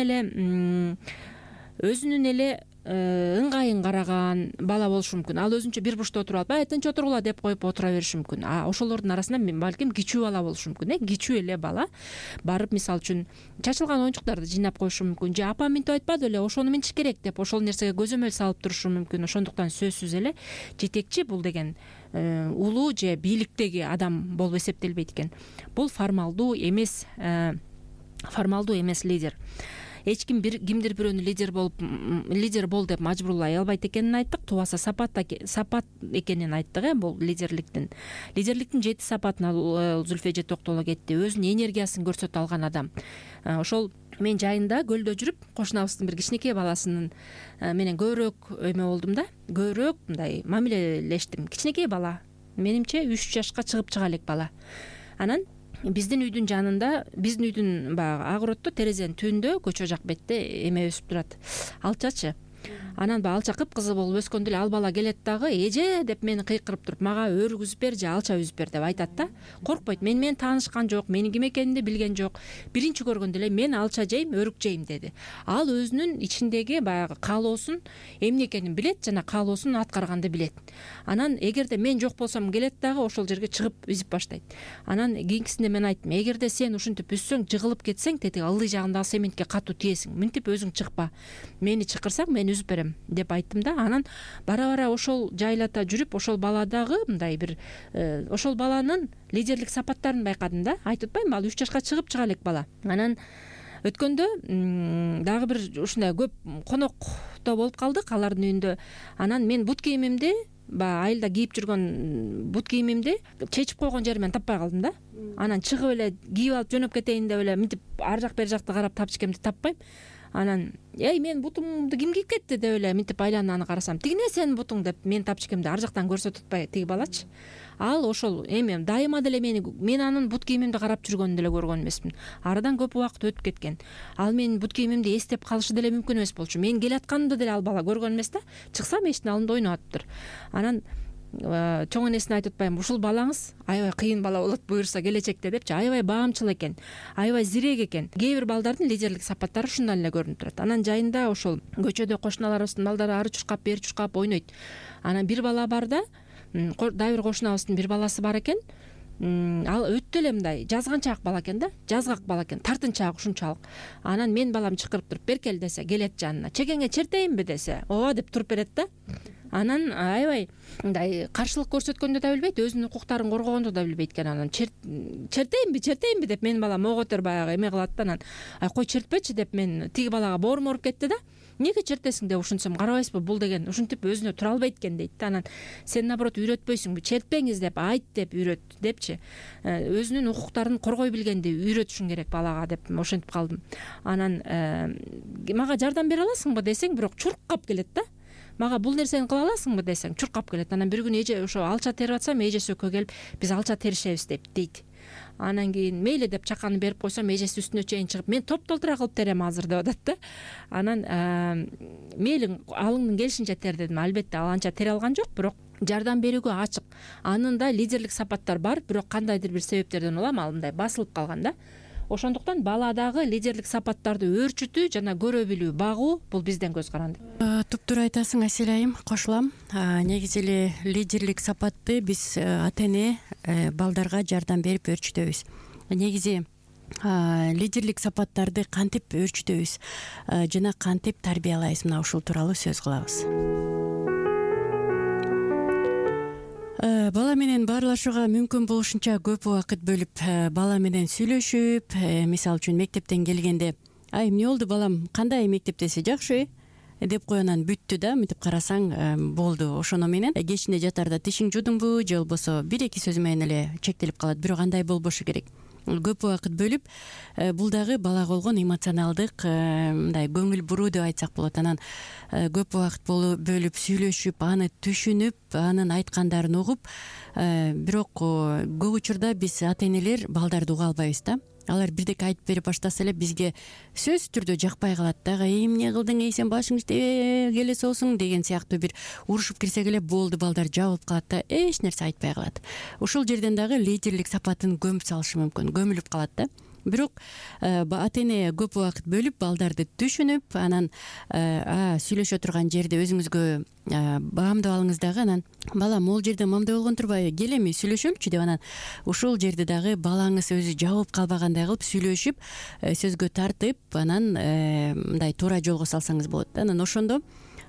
эле ыңгайын караган бала болушу мүмкүн. Ал өзүнчө бир бурчта отуруп алып, тынч отургула деп коюп отура бериши мүмкүн. Ошолордун арасында балким кичүү бала болушу мүмкүн. Кичүү эле бала барып, мисалы үчүн чачылган оюнчуктарды жыйнап коюшу мүмкүн, же апам минтип айтпады беле, ошону минтиш керек деп ошол нерсеге көзөмөл салып турушу мүмкүн. Ошондуктан сөзсүз эле жетекчи бул деген улуу же бийликтеги адам болуп эсептелбейт экен. Бул формалдуу эмес лидер. Эч ким кимдир бирөөнү лидер бол деп мажбурлай албайт экенин айттык. Тубаса сапат экенин айттык. Бул лидерликтин 7 сапатына Зүлфия эже токтоло кетти. Өзүнүн энергиясын көрсөтө алган адам. Ошол мен жайында көлдө жүрүп, кошунабыздын бир кичинекей баласынын менен көбүрөөк өймө болдум да. Көбүрөөк мындай мамилелештим. Кичинекей бала. Менимче 3 жашка чыга элек бала. Анан биздин үйдүн жанында, биздин үйдүн баягы огороддо терезенин түбүндө көчө жак бетте эме өсүп турат. Алчачы. Анан алча кыпкызыл болуп өскөндө эле ал бала келет дагы, эже деп мени кыйкырып туруп, мага өрүк үзүп бер же алча үзүп бер деп айтат да. Коркпойт. Менен таанышкан жок, менин ким экенимди билген жок. Биринчи көргөндө эле мен алча жейм, өрүк жейм деди. Ал өзүнүн ичиндеги баягы каалоосун эмне экенин билет жана каалоосун аткарганды билет. Анан эгерде мен жок болсом келет дагы ошол жерге чыгып үзүп баштайт. Анан кийинкисинде мен айттым, эгерде сен ушинтип үзсөң, жыгылып кетсең, тети ылдый жагындагы сементке катуу тиесиң. Минтип өзүң чыкпа. Мени чакырсаң, мен үзүп берем деп айттым да. Анан бара ошол жайлата жүрүп, ошол баладагы мындай бир ошол баланын лидерлик сапаттарын байкадым да. Айтып атпаймынбы, ал 3 жашка чыга элек бала. Анан өткөндө дагы бир ушундай көп конокто болуп калдык алардын үйүндө. Анан мен бут кийимимди, айылда кийип жүргөн бут кийимимди чечип койгон жеримен таппай калдым да. Анан чыгып эле кийип алып жөнөп кетейин деп эле минтип ар жак бери жакты карап тапчыкемди таппайм. Анан мен бутумду ким кийип кетти деп эле минтип айланып аны карасам, тигине сенин бутуң деп мен тапчыкемди ар жактан көрсөтүп атпай тиги балачы. Ал ошол эми дайыма деле мен анын бут кийимимди карап жүргөнүн деле көргөн эмесмин. Арадан көп убакыт өтүп кеткен. Ал менин бут кийимимди эстеп калышы деле мүмкүн эмес болчу. Мен келатканымды деле ал бала көргөн эмес да. Чыксам эшиктин алдында ойноп атыптыр. Анан чоң энесине айтып атпаймынбы, ушул балаңыз аябай кыйын бала болот буюрса келечекте депчи. Аябай баамчыл экен, аябай зирек экен. Кээ бир балдардын лидерлик сапаттары ушундан эле көрүнүп турат. Анан жайында ошол көчөдө кошуналарыбыздын балдары ары чуркап бери чуркап ойнойт. Анан бир бала бар да, дагы бир кошунабыздын бир баласы бар экен. Ал өтө эле мындай жазганчаак бала экен да, жазгак бала экен, тартынчаак ушунчалык. Анан мен балам чакырып туруп беркел десе, келет жанына. Чекеңе чертейинби десе, ооба деп туруп берет да. Анан аябай мындай каршылык көрсөткөндү да билбейт, өзүнүн укуктарын коргогонду да билбейт экен. Анан чертейинби деп менин балам оготер баягы эме кылат да. Анан кой чертпечи деп мен тиги балага боорум ооруп кетти да. Эмнеге чертесиң деп ушинтсем, карабайсызбы, бул деген ушинтип өзүнө тура албайт экен дейт да. Анан сен наоборот үйрөтпөйсүңбү, чертпеңиз деп айт деп үйрөт депчи. Өзүнүн укуктарын коргой билгенди үйрөтүшүң керек балага деп ошентип калдым. Анан мага жардам бере аласыңбы десең, бирок чуркап келет да. Мага бул нерсени кыла аласыңбы десең, чуркап келет. Анан бир күнү эже ошо алча терип атсам, эжеси экөө келип, биз алча теришебиз дейт. Анан кийин мейли деп чаканы берип койсом, эжеси үстүнө чейин чыгып, мен топ-толтура кылып терем азыр деп атат да. Анан мейли алыңдын келишинче тер дедим. Албетте ал анча тере алган жок, бирок жардам берүүгө ачык. Анын да лидерлик сапаттар бар, бирок кандайдыр бир себептерден улам ал мындай басылып калган да. Ошондуктан баладагы лидерлик сапаттарды өөрчүтүү жана көрө билүү, багуу бул бизден көз каранды. Туптуура айтасың Асель айым, кошулам. Негизи эле лидерлик сапатты биз ата эне балдарга жардам берип өөрчүтөбүз. Негизи лидерлик сапаттарды кантип өөрчүтөбүз жана кантип тарбиялайбыз, мына ушул тууралуу сөз кылабыз. Бала менен баарлашууга мүмкүн болушунча көп убакыт бөлүп бала менен сүйлөшүп, мисалы үчүн мектептен келгенде, эмне болду балам, кандай мектептеси, жакшы, деп кой анан бүттү да, мынтип карасаң болду. Ошону менен кечинде жатарда тишиң жудуңбу же болбосо 1-2 сөз менен эле чектелип калат. Бирок андай болбошу керек. Көп убакыт бөлүп, бул дагы балага болгон эмоционалдык мындай көңүл буруу деп айтсак болот. Анан көп убакыт бөлүп сүйлөшүп, аны түшүнүп, анын айткандарын угуп, бирок көп учурда биз ата энелер балдарды уга албайбыз да. Алар бирдеке айтып берип баштаса эле бизге сөзсүз түрдө жакпай калат дагы. Эмне кылдың, сен башың келе соосуң деген сыяктуу бир урушуп кирсек эле болду, балдар жабылып калат да, эч нерсе айтпай калат. Ушул жерден дагы лидерлик сапатын көмүп салышы мүмкүн, көмүлүп калат да. Бирок ата эне көп убакыт бөлүп, балдарды түшүнүп, анан сүйлөшө турган жерде өзүңүзгө баамдап алыңыз дагы. Анан балам, могул жерде мамдай болгон турбайбы, кел эми сүйлөшөлүчү деп, анан ушул жерде дагы балаңыз өзү жабып калбагандай кылып сүйлөшүп, сөзгө тартып, анан мындай туура жолго салсаңыз болот да. Анан ошондо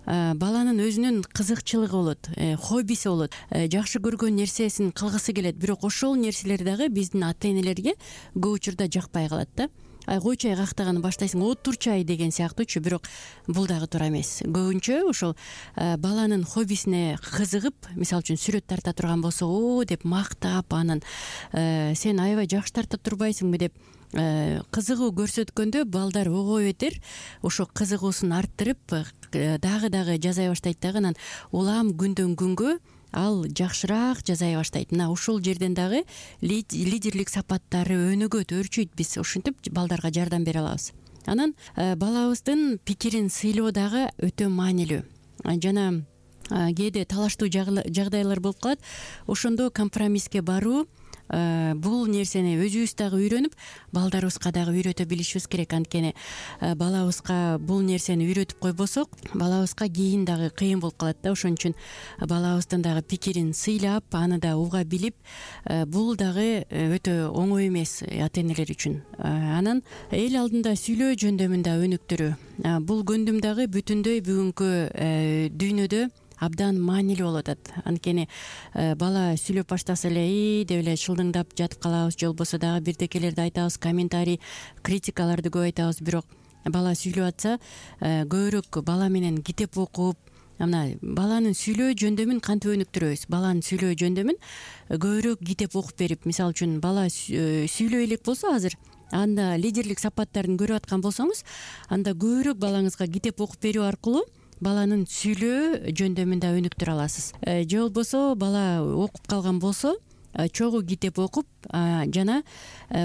баланын өзүнүн кызыкчылыгы болот, хоббиси болот, жакшы көргөн нерсесин кылгысы келет. Бирок ошол нерселер дагы биздин ата энелерге көп учурда жакпай калат да. Койчу кактаганы баштайсың, отурчай деген сыяктуучу. Бирок бул дагы туура эмес. Көбүнчө ошол баланын хоббисине кызыгып, мисалы үчүн сүрөт тарта турган болсо, деп мактап, анан сен аябай жакшы тарта турбайсыңбы деп кызыгуу көрсөткөндө, балдар ого бетер ошо кызыгуусун арттырып, дагы жасай баштайт дагы. Анан улам күндөн күнгө ал жакшыраак жасай баштайт. Мына ушул жерден дагы лидерлик сапаттары өнүгөт, өрчүйт. Биз ушинтип балдарга жардам бере алабыз. Анан балабыздын пикирин сыйлоо дагы өтө маанилүү. Жана кээде талаштуу жагдайлар болуп калат. Ошондо компромисске баруу, бул нерсени өзүбүз дагы үйрөнүп, балдарыбызга дагы үйрөтө билишибиз керек. Анткени балабызга бул нерсени үйрөтүп койбосок, балабызга кийин дагы кыйын болуп калат да. Ошон үчүн балабыздын дагы пикирин сыйлап, аны да уга билип, бул дагы өтө оңой эмес ата энелер үчүн. Анан эл алдында сүйлөө жөндөмүн да өнүктүрүү. Бул көндүм дагы бүтүндөй бүгүнкү дүйнөдө абдан маанилүү болуп атат. Анткени бала сүйлөп баштаса эле деп эле шылдыңдап жатып калабыз, же болбосо дагы бирдекелерди айтабыз, комментарий, критикаларды көп айтабыз. Бирок бала сүйлөп атса, көбүрөөк бала менен китеп окуп, мына баланын сүйлөө жөндөмүн кантип өнүктүрөбүз? Баланын сүйлөө жөндөмүн көбүрөөк китеп окуп берип, мисалы үчүн бала сүйлөй элек болсо азыр, анда лидерлик сапаттарын көрүп аткан болсоңуз, анда көбүрөөк балаңызга китеп окуп берүү аркылуу баланын сүйлөө жөндөмүн да өнүктүрө аласыз. Же болбосо бала окуп калган болсо, чогуу китеп окуп, жана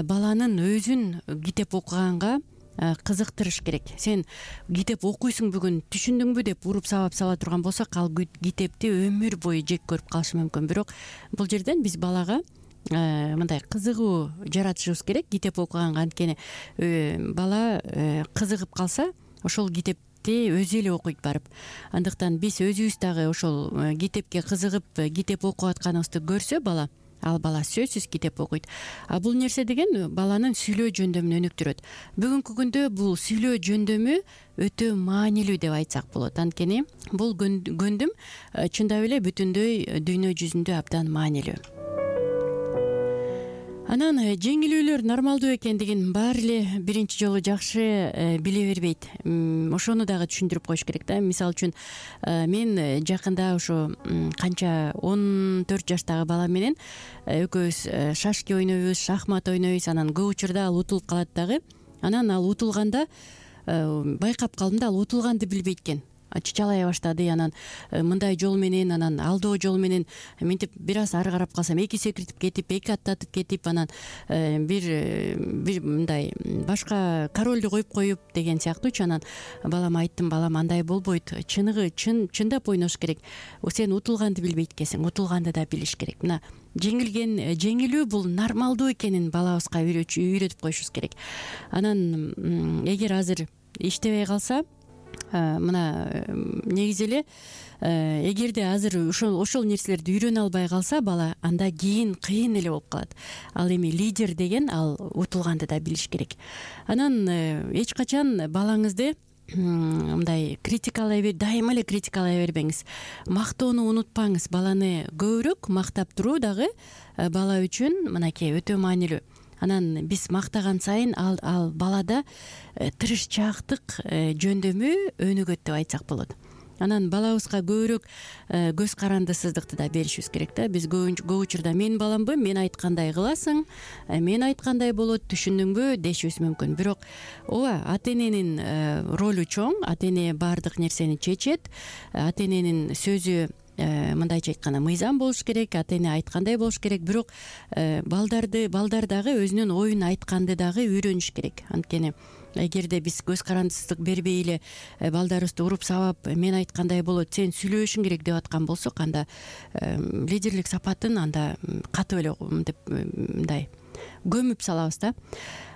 баланын өзүн китеп окуганга кызыктырыш керек. Сен китеп окуйсуң бүгүн, түшүндүңбү деп уруп сабап сала турган болсок, ал китепти өмүр бою жек көрүп калышы мүмкүн. Бирок бул жерден биз балага мындай кызыгуу жаратышыбыз керек китеп окуганга. Анткени бала кызыгып калса, ошол китеп өзү эле окуйт барып. Андыктан биз өзүбүз дагы ошол китепке кызыгып, китеп окуп атканыбызды көрсө бала, ал бала сөзсүз китеп окуйт. Бул нерсе деген баланын сүйлөө жөндөмүн өнүктүрөт. Бүгүнкү күндө бул сүйлөө жөндөмү өтө маанилүү деп айтсак болот. Анткени бул көндүм чындап эле бүтүндөй дүйнө жүзүндө абдан маанилүү. Анан жеңилүүлөр нормалдуу экендигин баары эле биринчи жолу жакшы биле бербейт. Ошону дагы түшүндүрүп коюш керек да. Мисалы үчүн мен жакында ошо канча 14 жаштагы балам менен экөөбүз шашки ойнойбуз, шахмат ойнойбуз. Анан көп учурда ал утулуп калат дагы. Анан ал утулганда байкап калдым да, ал утулганды билбейт экен. Чычалай баштады. Анан мындай жол менен, анан алдоо жол менен мынтип бир аз ары карап калсам, эки секиртип кетип, эки аттатып кетип, анан бир мындай башка королду коюп деген сыяктуучу. Анан балама айттым, балам, андай болбойт. Чындап ойнош керек. Сен утулганды билбейт экенсиң, утулганды да билиш керек. Мына жеңилүү бул нормалдуу экенин балабызга үйрөтүп коюшубуз керек. Анан эгер азыр иштебей калса, мына негизи эле эгерде азыр ошол нерселерди үйрөнө албай калса бала, анда кийин кыйын эле болуп калат. Ал эми лидер деген ал утулганды да билиш керек. Анан эч качан балаңызды мындай дайыма эле критикалай бербеңиз. Мактоону унутпаңыз. Баланы көбүрөөк мактап туруу дагы бала үчүн мынакей өтө маанилүү. анан биз мактаган сайын ал балада тырышчаактык жөндөмү өнүгөт деп айтсак болот. Анан балабызга көбүрөөк көз карандысыздыкты да беришибиз керек да. Биз көп учурда менин баламбы, мен айткандай кыласың, мен айткандай болот, түшүндүңбү дешибиз мүмкүн. Бирок ооба, ата эненин ролу чоң, ата эне баардык нерсени чечет, ата эненин сөзү мындайча айтканда мыйзам болуш керек, ата эне айткандай болуш керек. Бирок балдар дагы өзүнүн оюн айтканды дагы үйрөнүш керек. Анткени эгерде биз көз карандысыздык бербей эле балдарыбызды уруп сабап, мен айткандай болот, сен сүйлөшүң керек деп аткан болсок, анда лидерлик сапатын анда катып эле деп мындай көмүп салабыз да.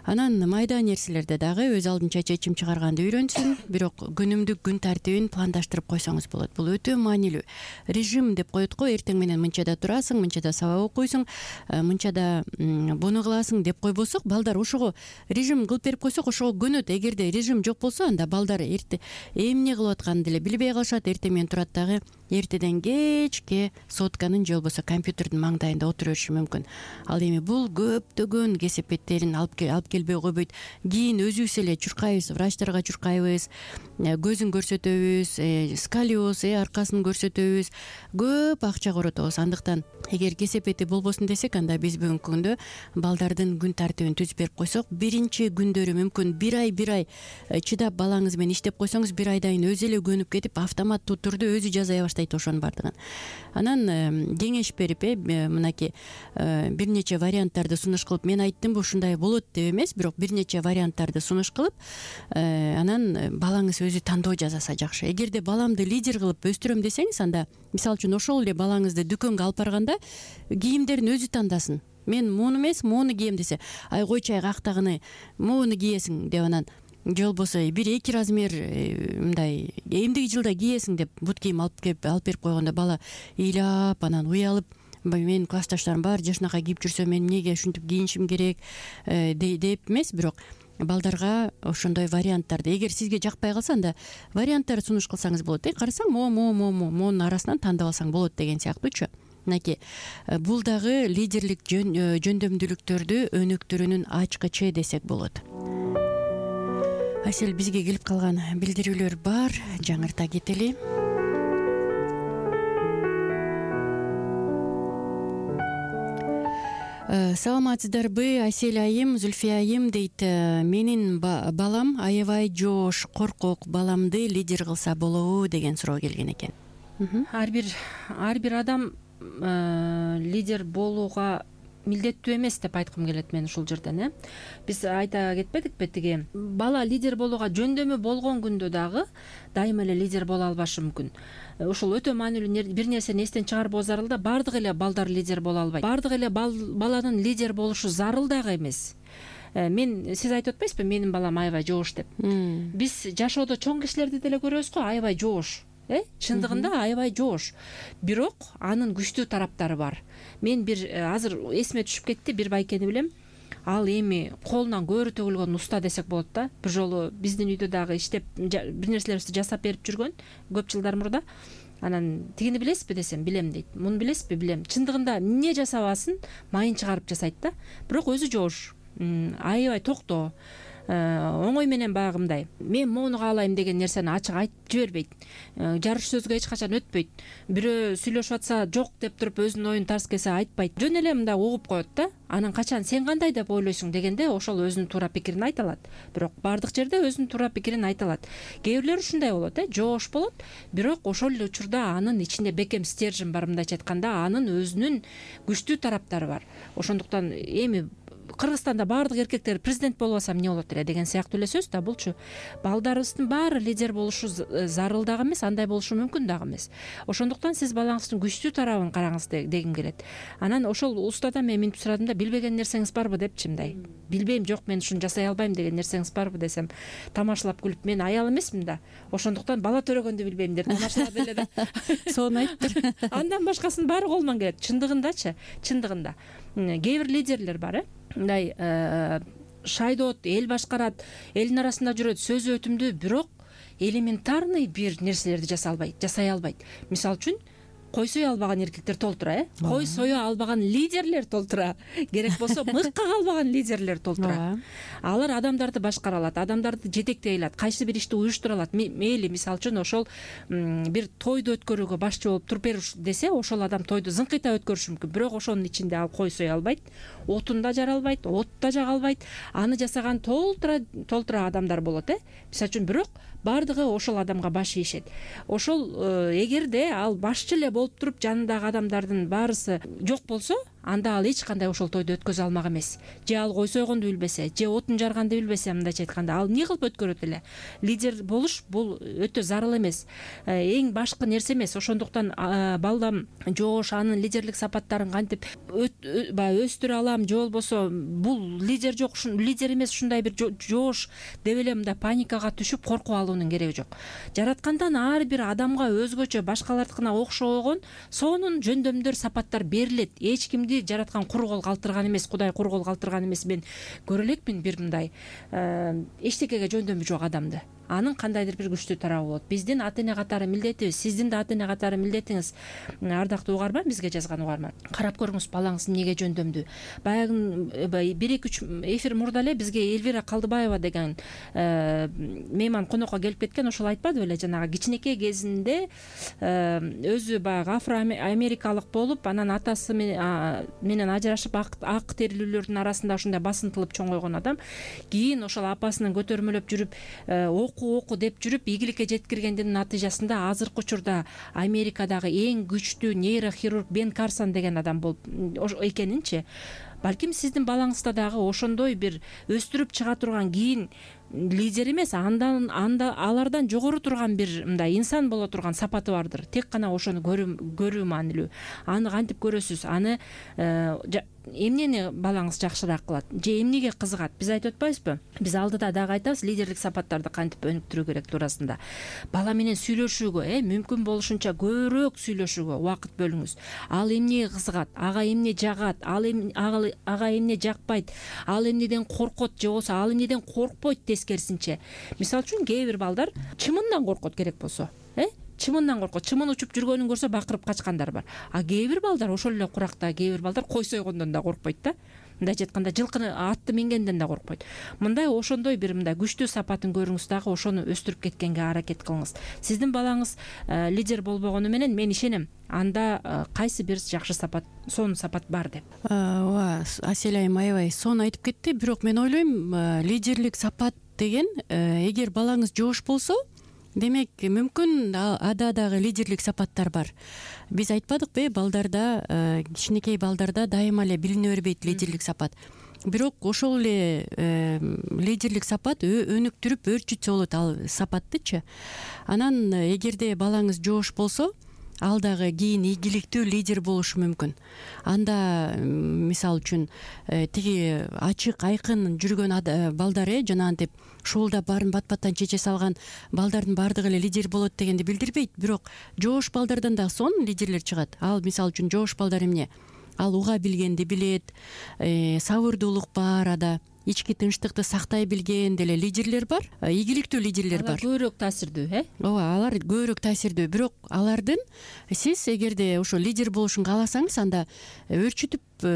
Анан майда нерселерде дагы өз алдынча чечим чыгарганды үйрөнсүн. Бирок күнүмдүк күн тартибин пландаштырып койсоңуз болот. Бул өтө маанилүү. Режим деп коет го, эртең менен мынчада турасың, мынчада сабак окуйсуң, мынчада буну кыласың деп койбосок, балдар ошого режим кылып берип койсок, ошого көнөт. Эгерде режим жок болсо, анда балдар эмне кылып атканын деле билбей калышат. Эртең менен турат дагы эртеден кечке сотканын же болбосо компьютердин маңдайында отура бериши мүмкүн. Ал эми бул көптөгөн кесепеттерин алып келбей койбойт. Кийин өзүбүз эле чуркайбыз, врачтарга чуркайбыз, көзүн көрсөтөбүз, сколиоз, аркасын көрсөтөбүз, көп акча коротобуз. Андыктан эгер кесепети болбосун десек, анда биз бүгүнкү күндө балдардын күн тартибин түзүп берип койсок, биринчи күндөрү мүмкүн бир ай чыдап балаңыз менен иштеп койсоңуз, бир айдан кийин өзү эле көнүп кетип, автоматтуу түрдө өзү жасай баштайт ошонун баардыгын. Анан кеңеш берип, мынакей бир нече варианттарды сунуш кылып, мен айттымбы ушундай болот деп эмес, бирок бир нече варианттарды сунуш кылып, анан балаңыз өзү тандоо жасаса жакшы. Эгерде баламды лидер кылып өстүрөм десеңиз, анда мисалы үчүн ошол эле балаңызды дүкөнгө алып барганда кийимдерин өзү тандасын. Мен муну эмес, муну кийем десе, ай койчу, актагыны муну кийесиң деп, анан же болбосо 1-2 размер мындай эмдиги жылда кийесиң деп бут кийим алып берип койгондо бала ыйлап, анан уялып, менин классташтарым баары жашынака кийип жүрсө, мен эмнеге ушинтип кийинишим керек деп эмес, бирок балдарга ошондой варианттарды, эгер сизге жакпай калса, анда варианттарды сунуш кылсаңыз болот. Карасаң, моунун арасынан тандап алсаң болот деген сыяктуучу. Мынакей бул дагы лидерлик жөндөмдүүлүктөрдү өнүктүрүүнүн ачкычы десек болот. Асель, бизге келип калган билдирүүлөр бар, жаңырта кетели. Саламатсыздарбы, Асель айым, Зүлфия айым дейт. Менин балам аябай жоош, коркок, баламды лидер кылса болобу деген суроо келген экен. Ар бир адам лидер болууга милдеттүү эмес деп айткым келет мен ушул жерден. Биз айта кетпедикпи, тиги бала лидер болууга жөндөмү болгон күндө дагы дайыма эле лидер боло албашы мүмкүн. Ушул өтө маанилүү бир нерсени эстен чыгарбоо зарыл да. Баардык эле балдар лидер боло албайт. Баардык эле баланын лидер болушу зарыл дагы эмес. Сиз айтып атпайсызбы, менин балам аябай жоош деп. Биз жашоодо чоң кишилерди деле көрөбүз го, аябай жоош. Чындыгында аябай жоош. Бирок анын күчтүү тараптары бар. Мен азыр эсиме түшүп кетти, бир байкени билем. Ал эми колунан көөрү төгүлгөн уста десек болот да. Бир жолу биздин үйдө дагы иштеп бир нерселерибизди жасап берип жүргөн көп жылдар мурда. Анан тигини билесизби десем, билем дейт. Муну билесизби? Билем. Чындыгында эмне жасабасын майын чыгарып жасайт да. Бирок өзү жоош. Аябай токтоо. Оңой менен баягы мындай, мен моуну каалайм деген нерсени ачык айтып жибербейт. Жарыш сөзгө эч качан өтпөйт. Бирөө сүйлөшүп атса жок деп туруп өзүнүн оюн тарс кесе айтпайт. Жөн эле мындай угуп коет да. Анан качан сен кандай деп ойлойсуң дегенде ошол өзүнүн туура пикирин айта алат. Бирок баардык жерде өзүнүн туура пикирин айта алат. Кээ бирлер ушундай болот, жоош болот, бирок ошол эле учурда анын ичинде бекем стержень бар, мындайча айтканда, анын өзүнүн күчтүү тараптары бар. Ошондуктан эми Кыргызстанда баардык эркектер президент болбаса эмне болот эле деген сыяктуу эле сөз да булчу. Балдарыбыздын баары лидер болушу зарыл дагы эмес, андай болушу мүмкүн дагы эмес. Ошондуктан сиз балаңыздын күчтүү тарабын караңыз дегим келет. Анан ошол устадан мен минтип сурадым да, билбеген нерсеңиз барбы депчи, мындай. Билбейм, жок, мен ушуну жасай албайм деген нерсеңиз барбы десем, тамашалап күлүп, мен аял эмесмин да. Ошондуктан бала төрөгөндү билбейм деп тамашалап эле да. Сонун айттыр. Андан башкасынын баары колунан келет. Чындыгындачы, чындыгында. Кээ бир лидерлер бар, мындай шайдоот, эл башкарат, элдин арасында жүрөт, сөзү өтүмдүү, бирок элементарный бир нерселерди жасай албайт. Мисалы үчүн, кой сое албаган эркектер толтура, кой сое албаган лидерлер толтура, керек болсо мыкка калбаган лидерлер толтура. Алар адамдарды башкара алат, адамдарды жетектей алат, кайсы бир ишти уюштура алат. Мейли, мисалы үчүн ошол бир тойду өткөрүүгө башчы болуп туруп бериш десе, ошол адам тойду зыңкыйта өткөрүшү мүмкүн. Бирок ошонун ичинде ал кой сое албайт, отун да жара албайт, от да жага албайт. Аны жасаган толтура адамдар болот, мисалы үчүн. Бирок баардыгы ошол адамга баш ийишет. Ошол эгерде ал башчы эле болуп туруп жанындагы адамдардын баарысы жок болсо, анда ал эч кандай ошол тойду өткөзө алмак эмес. Же ал кой сойгонду билбесе, же отун жарганды билбесе, мындайча айтканда, ал эмне кылып өткөрөт эле? Лидер болуш бул өтө зарыл эмес, эң башкы нерсе эмес. Ошондуктан балдам жоош анын лидерлик сапаттарын кантип өстүрө алам, же болбосо бул лидер жок, лидер эмес, ушундай бир жоош деп эле мындай паникага түшүп коркуп алуунун кереги жок. Жараткандан ар бир адамга өзгөчө, башкалардыкына окшогон сонун жөндөмдөр, сапаттар берилет. Эч кимди жараткан кур кол калтырган эмес, Кудай кур кол калтырган эмес. Мен көрө элекмин бир мындай эчтекеге жөндөмү жок адамды. Анын кандайдыр бир күчтүү тарабы болот. Биздин ата эне катары милдетибиз, сиздин да ата эне катары милдетиңиз, ардактуу угарман, бизге жазган угарман. Карап көрүңүз, балаңыз эмнеге жөндөмдүү. Баягы 1-2 эфир мурда эле бизге Элвира Калдыбаева деген мейман конокко келип кеткен. Ошол айтпады беле, жанагы кичинекей кезинде өзү баягы афро-америкалык болуп, анан атасы менен ажырашып, ак терилүүлөрдүн арасында ушундай басынтылып чоңойгон адам. Кийин ошол апасынын көтөрмөлөп жүрүп, оку деп жүрүп, ийгиликке жеткиргендин натыйжасында азыркы учурда Америкадагы эң күчтүү нейрохирург Бен Карсон деген адам болуп экенинчи. Балким сиздин балаңызда дагы ошондой бир өстүрүп чыга турган, кийин лидер эмес, анда алардан жогору турган бир мындай инсан боло турган сапаты бардыр. Тек гана ошону көрүү маанилүү. Аны кантип көрөсүз? Аны эмнени балаңыз жакшыраак кылат же эмнеге кызыгат? Биз айтып атпайбызбы? Биз алдыда дагы айтабыз, лидерлик сапаттарды кантип өнүктүрүү керек туурасында. Бала менен сүйлөшүүгө, мүмкүн болушунча көбүрөөк сүйлөшүүгө убакыт бөлүңүз. Ал эмнеге кызыгат, ага эмне жагат, ага эмне жакпайт, ал эмнеден коркот же болбосо ал эмнеден коркпойт. Тескерисинче, мисалы үчүн кээ бир балдар чымындан коркот, керек болсо, чымындан коркот. Чымын учуп жүргөнүн көрсө бакырып качкандар бар. А кээ бир балдар ошол эле куракта, кээ бир балдар кой сойгондон да коркпойт да. Мындайча айтканда, жылкыны, атты мингенден да коркпойт. Мындай ошондой бир мындай күчтүү сапатын көрүңүз, дагы ошону өстүрүп кеткенге аракет кылыңыз. Сиздин балаңыз лидер болбогону менен мен ишенем, анда кайсы бир жакшы сапат, сонун сапат бар деп. Ооба, Асель айым аябай сонун айтып кетти. Бирок мен ойлойм, лидерлик сапат деген, эгер балаңыз жоош болсо, демек мүмкүн ада дагы лидерлик сапаттар бар. Биз айтпадыкпы, балдарда, кичинекей балдарда дайыма эле билине бербейт лидерлик сапат. Бирок ошол эле лидерлик сапат өнүктүрүп өөрчүтсө болот ал сапаттычы. Анан эгерде балаңыз жоош болсо, ал дагы кийин ийгиликтүү лидер болушу мүмкүн. Анда мисалы үчүн тиги ачык айкын жүргөн балдар жанагынтип шуулдап баарын бат-баттан чече салган балдардын баардыгы эле лидер болот дегенди билдирбейт. Бирок жоош балдардан дагы сонун лидерлер чыгат. Ал мисалы үчүн жоош балдар эмне? Ал уга билгенди билет, сабырдуулук бар ада, ички тынчтыкты сактай билген деле лидерлер бар, ийгиликтүү лидерлер бар. Алар көбүрөөк таасирдүү, Ооба, алар көбүрөөк таасирдүү. Бирок алардын сиз эгерде ошо лидер болушун кааласаңыз, анда өөрчүтүп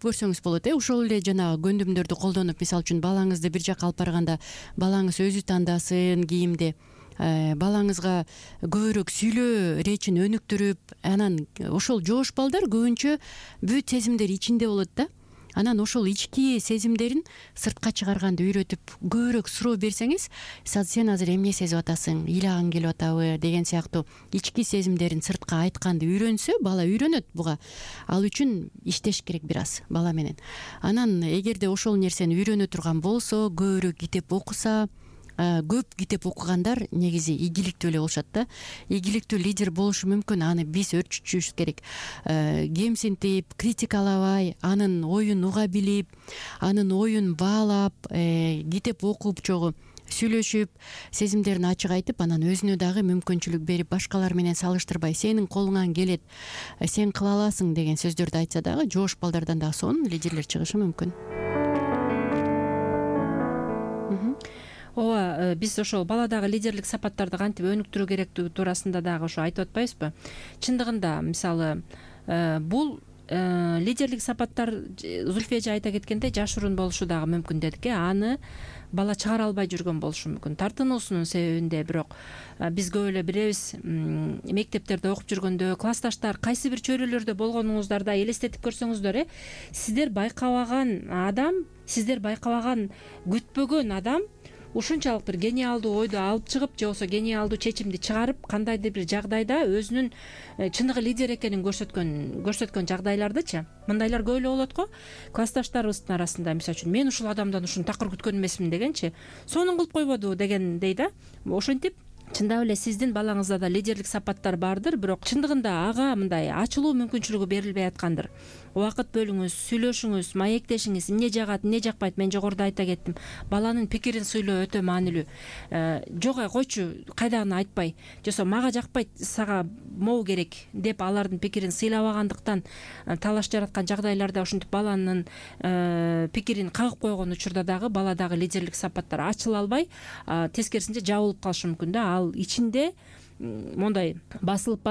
көрсөңүз болот. Ошол эле жанагы көндүмдөрдү колдонуп, мисалы үчүн балаңызды бир жака алып барганда, балаңыз өзү тандасын кийимде, балаңызга көбүрөөк сүйлөө речин өнүктүрүп, анан ошол жоош балдар көбүнчө бүт сезимдер ичинде болот да. Анан ошол ички сезимдерин сыртка чыгарганды үйрөтүп, көбүрөөк суроо берсеңиз, сен азыр эмне сезип атасың, ыйлагың келип атабы деген сыяктуу ички сезимдерин сыртка айтканды үйрөнсө, бала үйрөнөт буга. Ал үчүн иштеш керек бир аз бала менен. Анан эгерде ошол нерсени үйрөнө турган болсо, көбүрөөк китеп окуса, көп китеп окугандар негизи ийгиликтүү эле болушат да. Ийгиликтүү лидер болушу мүмкүн. Аны биз өөрчүтүшүбүз керек. Кемсинтип, критикалабай, анын оюн уга билип, анын оюн баалап, китеп окуп чогуу сүйлөшүп, сезимдерин ачык айтып, анан өзүнө дагы мүмкүнчүлүк берип, башкалар менен салыштырбай, сенин колуңан келет, сен кыла аласың деген сөздөрдү айтса дагы, жоош балдардан дагы сонун лидерлер чыгышы мүмкүн. ооба, биз ошол баладагы лидерлик сапаттарды кантип өнүктүрүү керектиги туурасында дагы ошо айтып атпайбызбы? Чындыгында мисалы бул лидерлик сапаттар Зульфия эже айта кеткендей жашыруун болушу дагы мүмкүн дедик. Аны бала чыгара албай жүргөн болушу мүмкүн тартынуусунун себебинде. Бирок биз көп эле билебиз, мектептерде окуп жүргөндө классташтар кайсы бир чөйрөлөрдө болгонуңуздарда элестетип көрсөңүздөр, сиздер байкабаган адам, сиздер байкабаган күтпөгөн адам ушунчалык бир гениалдуу ойду алып чыгып же болбосо гениалдуу чечимди чыгарып кандайдыр бир жагдайда өзүнүн чыныгы лидер экенин көрсөткөн жагдайлардычы мындайлар көп эле болот го. Классташтарыбыздын арасында мисалы үчүн мен ушул адамдан ушуну такыр күткөн эмесмин дегенчи, сонун кылып койбоду дегендей да. Ошентип чындап эле сиздин балаңызда да лидерлик сапаттар бардыр, бирок чындыгында ага мындай ачылуу мүмкүнчүлүгү берилбей аткандыр. Убакыт бөлүңүз, сүйлөшүңүз, маектешиңиз, эмне жагат, эмне жакпайт. Мен жогоруда айта кеттим, баланын пикирин сүйлөө өтө маанилүү. Жок койчу, кайдагыны айтпай, же болбосо мага жакпайт, сага могу керек деп алардын пикирин сыйлабагандыктан талаш жараткан жагдайларда ушинтип баланын пикирин кагып койгон учурда дагы баладагы лидерлик сапаттар ачыла албай, тескерисинче жабылып калышы мүмкүн да. Ал ичинде мондай басылып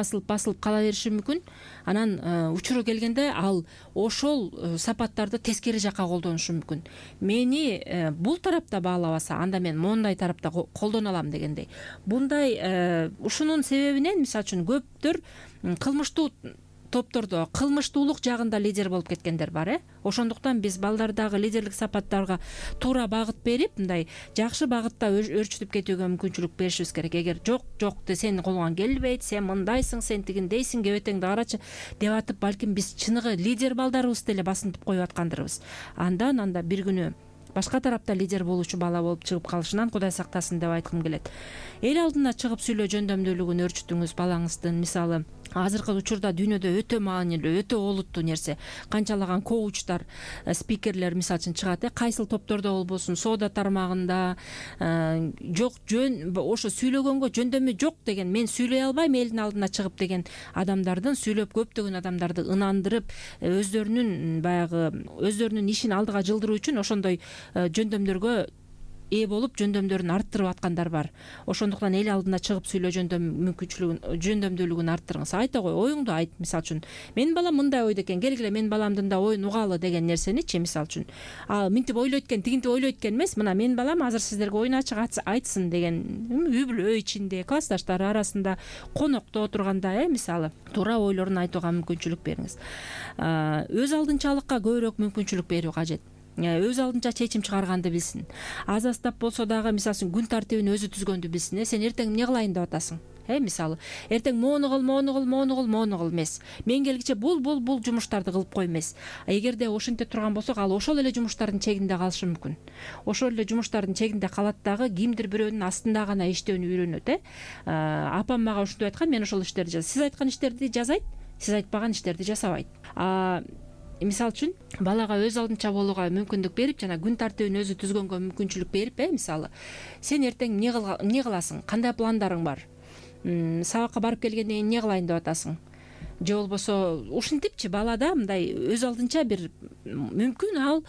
кала бериши мүмкүн. Анан учуру келгенде ал ошол сапаттарды тескери жакка колдонушу мүмкүн. Мени бул тарапта баалабаса, анда мен моундай тарапта колдоно алам дегендей. Бундай ушунун себебинен мисалы үчүн көптөр кылмыштуу топтордо кылмыштуулук жагында лидер болуп кеткендер бар. Ошондуктан биз балдардагы лидерлик сапаттарга туура багыт берип, мындай жакшы багытта өөрчүтүп кетүүгө мүмкүнчүлүк беришибиз керек. Эгер жок сенин колуңан келбейт, сен мындайсың, сен тигиндейсиң, кебетеңди карачы деп атып, балким биз чыныгы лидер балдарыбызды эле басынтып коюп аткандырбыз. Андан анда бир күнү башка тарапта лидер болуучу бала болуп чыгып калышынан Кудай сактасын деп айткым келет. Эл алдына чыгып сүйлөө жөндөмдүүлүгүн өөрчүтүңүз балаңыздын. Мисалы азыркы учурда дүйнөдө өтө маанилүү, өтө олуттуу нерсе. Канчалаган коучтар, спикерлер мисалы үчүн чыгат, кайсыл топтордо болбосун, соода тармагында, жок жөн ошо сүйлөгөнгө жөндөмү жок деген, мен сүйлөй албайм элдин алдына чыгып деген адамдардын сүйлөп көптөгөн адамдарды ынандырып, өздөрүнүн ишин алдыга жылдыруу үчүн ошондой жөндөмдөргө ээ болуп жөндөмдөрүн арттырып аткандар бар. Ошондуктан эл алдына чыгып сүйлөө жөндөмдүүлүгүн арттырыңыз. Айта кой, оюңду айт. Мисалы үчүн менин балам мындай ойдо экен, келгиле менин баламдын да оюн угалы деген нерсеничи, мисалы үчүн минтип ойлойт экен, тигинтип ойлойт экен эмес, мына менин балам азыр сиздерге оюн ачык айтсын деген үй бүлө ичинде, классташтары арасында, конокто отурганда мисалы туура ойлорун айтууга мүмкүнчүлүк бериңиз. Өз алдынчалыкка көбүрөөк мүмкүнчүлүк берүү кажет. Өз алдынча чечим чыгарганды билсин. Аз аздап болсо дагы мисалы үчүн күн тартибин өзү түзгөндү билсин. Сен эртең эмне кылайын деп атасың? Мисалы эртең моуну кыл эмес. Мен келгиче бул жумуштарды кылып кой эмес. Эгерде ошентип турган болсок, ал ошол эле жумуштардын чегинде калышы мүмкүн. Ошол эле жумуштардын чегинде калат дагы кимдир бирөөнүн астында гана иштөөнү үйрөнөт. Апам мага ушинтип айткан, мен ошол иштерди жазам. Сиз айткан иштерди жазайт, сиз айтпаган иштерди жасабайт. Мисалы үчүн балага өз алдынча болууга мүмкүндүк берип, жана күн тартибин өзү түзгөнгө мүмкүнчүлүк берип, мисалы сен эртең эмне кыласың, кандай пландарың бар, сабакка барып келгенден кийин эмне кылайын деп атасың, же болбосо ушинтипчи балада мындай өз алдынча бир мүмкүн ал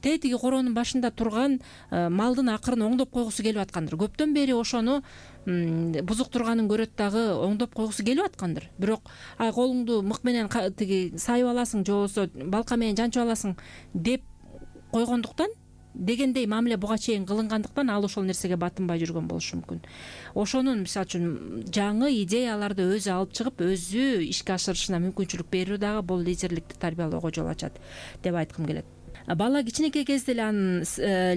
тетиги коронун башында турган малдын акырын оңдоп койгусу келип аткандыр. Көптөн бери ошону бузук турганын көрөт дагы оңдоп койгусу келип аткандыр. Бирок колуңду мык менен тиги сайып аласың, же болбосо балка менен жанчып аласың деп койгондуктан, дегендей мамиле буга чейин кылынгандыктан ал ошол нерсеге батынбай жүргөн болушу мүмкүн. Ошонун мисалы үчүн жаңы идеяларды өзү алып чыгып, өзү ишке ашырышына мүмкүнчүлүк берүү дагы бул лидерликти тарбиялоого жол ачат деп айткым келет. Бала кичинекей кезде эле анын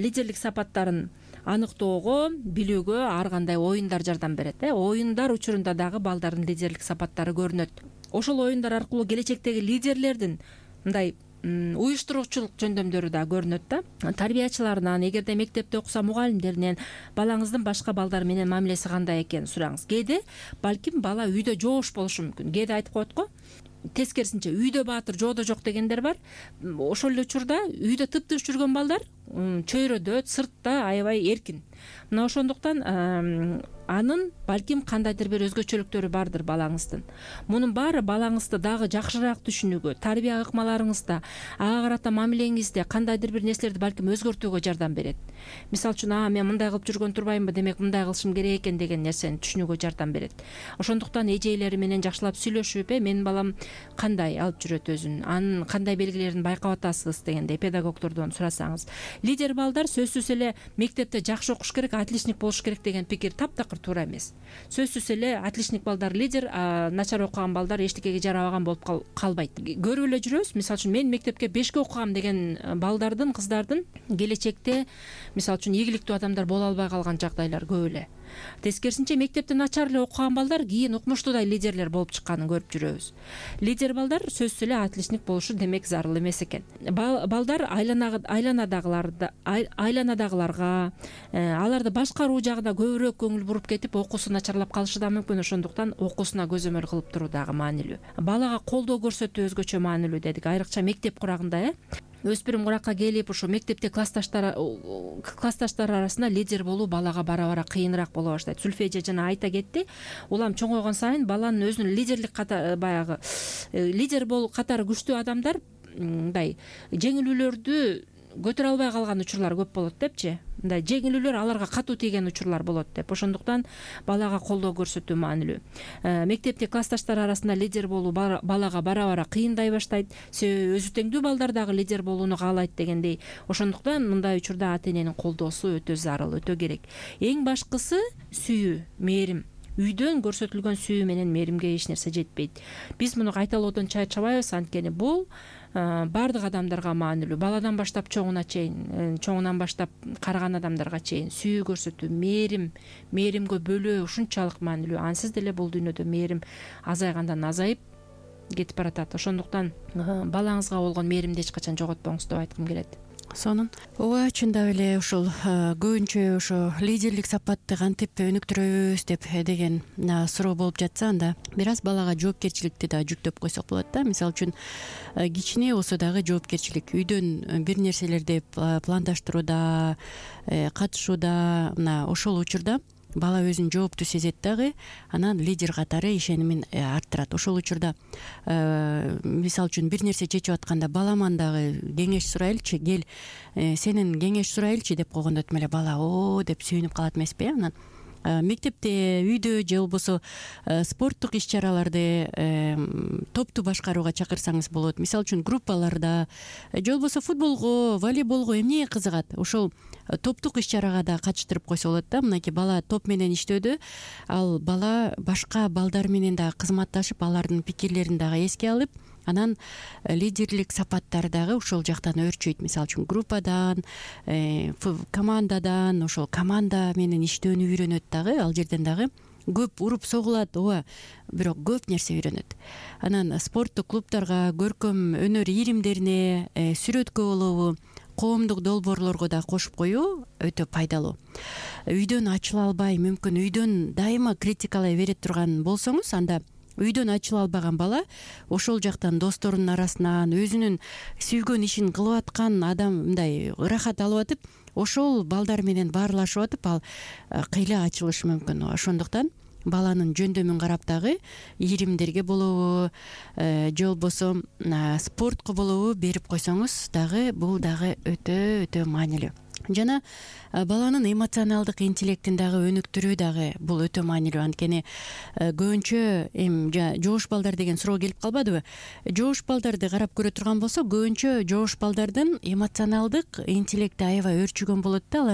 лидерлик сапаттарын аныктоого, билүүгө ар кандай оюндар жардам берет. Оюндар учурунда дагы балдардын лидерлик сапаттары көрүнөт. Ошол оюндар аркылуу келечектеги лидерлердин мындай уюштуруучулук жөндөмдөрү да көрүнөт да. Тарбиячыларынан, эгерде мектепте окуса мугалимдеринен балаңыздын башка балдар менен мамилеси кандай экенин сураңыз. Кээде балким бала үйдө жоош болушу мүмкүн. Кээде айтып коет го, тескерисинче үйдө баатыр, жоодо жок дегендер бар. Ошол эле учурда үйдө тыптыш жүргөн балдар чөйрөдө, сыртта аябай эркин. Мына ошондуктан анын балким кандайдыр бир өзгөчөлүктөрү бардыр балаңыздын. Мунун баары балаңызды дагы жакшыраак түшүнүүгө, тарбия ыкмаларыңызда, ага карата мамилеңизде кандайдыр бир нерселерди балким өзгөртүүгө жардам берет. Мисалы үчүн, мен мындай кылып жүргөн турбаймынбы, демек мындай кылышым керек экен деген нерсени түшүнүүгө жардам берет. Ошондуктан эжейлери менен жакшылап сүйлөшүп, менин балам кандай алып жүрөт өзүн, анын кандай белгилерин байкап атасыз дегендей педагогдордон сурасаңыз. Лидер балдар сөзсүз эле мектепте жакшы окуш керек, отличник болуш керек деген пикир таптакыр туура эмес. Сөзсүз эле отличник балдар лидер, начар окуган балдар эчтекеге жарабаган болуп калбайт. Көрүп эле жүрөбүз. Мисалы үчүн мен мектепке 5 окугам деген балдардын, кыздардын келечекте мисалы үчүн ийгиликтүү адамдар боло албай калган жагдайлар көп эле. Тескерисинче мектепте начар эле окуган балдар кийин укмуштуудай лидерлер болуп чыкканын көрүп жүрөбүз. Лидер балдар сөзсүз эле отличник болушу демек зарыл эмес экен. Балдар айланадагыларга, аларды башкаруу жагына көбүрөөк көңүл буруп кетип, окуусу начарлап калышы да мүмкүн. Ошондуктан окуусуна көзөмөл кылып туруу дагы маанилүү. Балага колдоо көрсөтүү өзгөчө маанилүү дедик, айрыкча мектеп курагында. Өспүрүм куракка келип, ошо мектепте классташтар арасында лидер болуу балага бара-бара кыйыныраак боло баштайт. Зүлфия жана айта кетти. Улам чоңойгон сайын баланын өзүнүн лидерлик баягы лидер болуу катары күчтүү адамдар мындай жеңилүүлөрдү көтөрө албай калган учурлар көп болот депчи. Мындай жеңилүүлөр аларга катуу тийген учурлар болот деп. Ошондуктан балага колдоо көрсөтүү маанилүү. Мектепте классташтар арасында лидер болуу балага бара-бара кыйындай баштайт. Өзү теңдүү балдар дагы лидер болууну каалайт дегендей. Ошондуктан мындай учурда ата эненин колдоосу өтө зарыл, өтө керек. Эң башкысы сүйүү, мээрим. Үйдөн көрсөтүлгөн сүйүү менен мээримге эч нерсе жетпейт. Биз муну кайталоодон чарчабайбыз, анткени бул баардык адамдарга маанилүү. Баладан баштап чоңуна чейин, чоңунан баштап карыган адамдарга чейин сүйүү көрсөтүү, мээримгө бөлөө ушунчалык маанилүү. Ансыз деле бул дүйнөдө мээрим азайгандан азайып кетип баратат. Ошондуктан балаңызга болгон мээримди эч качан жоготпоңуз деп айткым келет. Сонун. Ооба, чындап эле ушул көбүнчө ошо лидерлик сапатты кантип өнүктүрөбүз деген суроо болуп жатса, анда бир аз балага жоопкерчиликти да жүктөп койсок болот да. Мисалы үчүн кичине болсо дагы жоопкерчилик, үйдөн бир нерселерди пландаштырууда, катышууда, мына ошол учурда бала өзүн жооптуу сезет дагы, анан лидер катары ишенимин арттырат. Ошол учурда мисалы үчүн бир нерсе чечип атканда баламан дагы кеңеш сурайлычы, кел сенин кеңеш сурайлычы деп койгондо тим эле бала о деп сүйүнүп калат эмеспи? Анан мектепте, үйдө же болбосо спорттук иш-чараларды топту башкарууга чакырсаңыз болот. Мисалы үчүн группаларда же болбосо футболго, волейболго эмне кызыгат, ошол топтук иш-чарага да катыштырып койсо болот да. Мынакей бала топ менен иштөөдө, ал бала башка балдар менен дагы кызматташып, алардын пикирлерин дагы эске алып, анан лидерлик сапаттар дагы ошол жактан өөрчөйт. Мисалы үчүн группадан, командадан, ошол команда менен иштөөнү үйрөнөт дагы. Ал жерден дагы көп уруп согулат, ооба, бирок көп нерсе үйрөнөт. Анан спорттук клубтарга, көркөм өнөр ийримдерине, сүрөткө болобу, коомдук долбоорлорго да кошуп коюу өтө пайдалуу. Үйдөн ачыла албай, мүмкүн үйдөн дайыма критикалай бере турган болсоңуз, анда үйдөн ачыла албаган бала ошол жактан досторунун арасынан өзүнүн сүйгөн ишин кылып аткан адам мындай ырахат алып атып, ошол балдар менен баарлашып атып, ал кыйла ачылышы мүмкүн. Ошондуктан баланын жөндөмүн карап дагы ийримдерге болобу, же болбосо спортко болобу берип койсоңуз дагы бул дагы өтө маанилүү. Жана баланын эмоционалдык интеллектин дагы өнүктүрүү дагы бул өтө маанилүү. Анткени көбүнчө жоош балдар деген суроо келип калбадыбы? Жоош балдарды карап көрө турган болсо, көбүнчө жоош балдардын эмоционалдык интеллекти аябай өөрчүгөн болот да.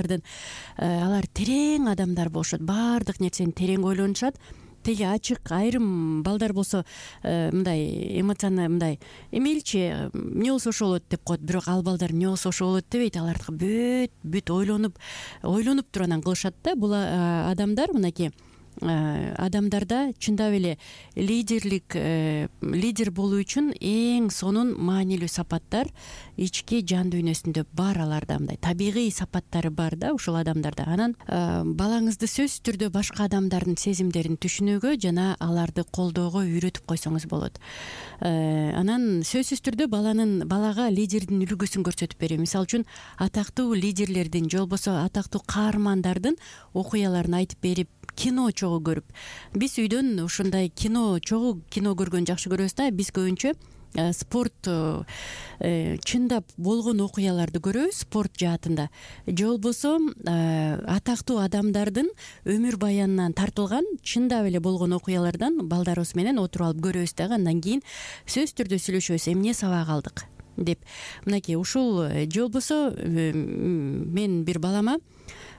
Алар терең адамдар болушат, баардык нерсени терең ойлонушат. Теги ачык айрым балдар болсо мындай эмоционал мындай эмелчи эмне болсо ошол болот деп коет, бирок ал балдар эмне болсо ошол болот дебейт. Алардыкы бүт ойлонуп туруп анан кылышат да. Бул адамдар мынакей адамдарда чындап эле лидер болуу үчүн эң сонун маанилүү сапаттар ички жан дүйнөсүндө бар. Аларда мындай табигый сапаттары бар да ушул адамдарда. Анан балаңызды сөзсүз түрдө башка адамдардын сезимдерин түшүнүүгө жана аларды колдоого үйрөтүп койсоңуз болот. Анан сөзсүз түрдө балага лидердин үлгүсүн көрсөтүп берүү. Мисалы үчүн атактуу лидерлердин же болбосо атактуу каармандардын окуяларын айтып берип, кино чогуу көрүп. Биз үйдөн ушундай чогуу кино көргөнгө жакшы көрөбүз да. Биз көбүнчө спорт чындап болгон окуяларды көрөбүз спорт жаатында, же болбосо атактуу адамдардын өмүр баянынан тартылган чындап эле болгон окуялардан балдарыбыз менен отуруп алып көрөбүз дагы. Андан кийин сөзсүз түрдө сүйлөшөбүз, эмне сабак алдык деп. Мынакей ушул же болбосо мен бир балама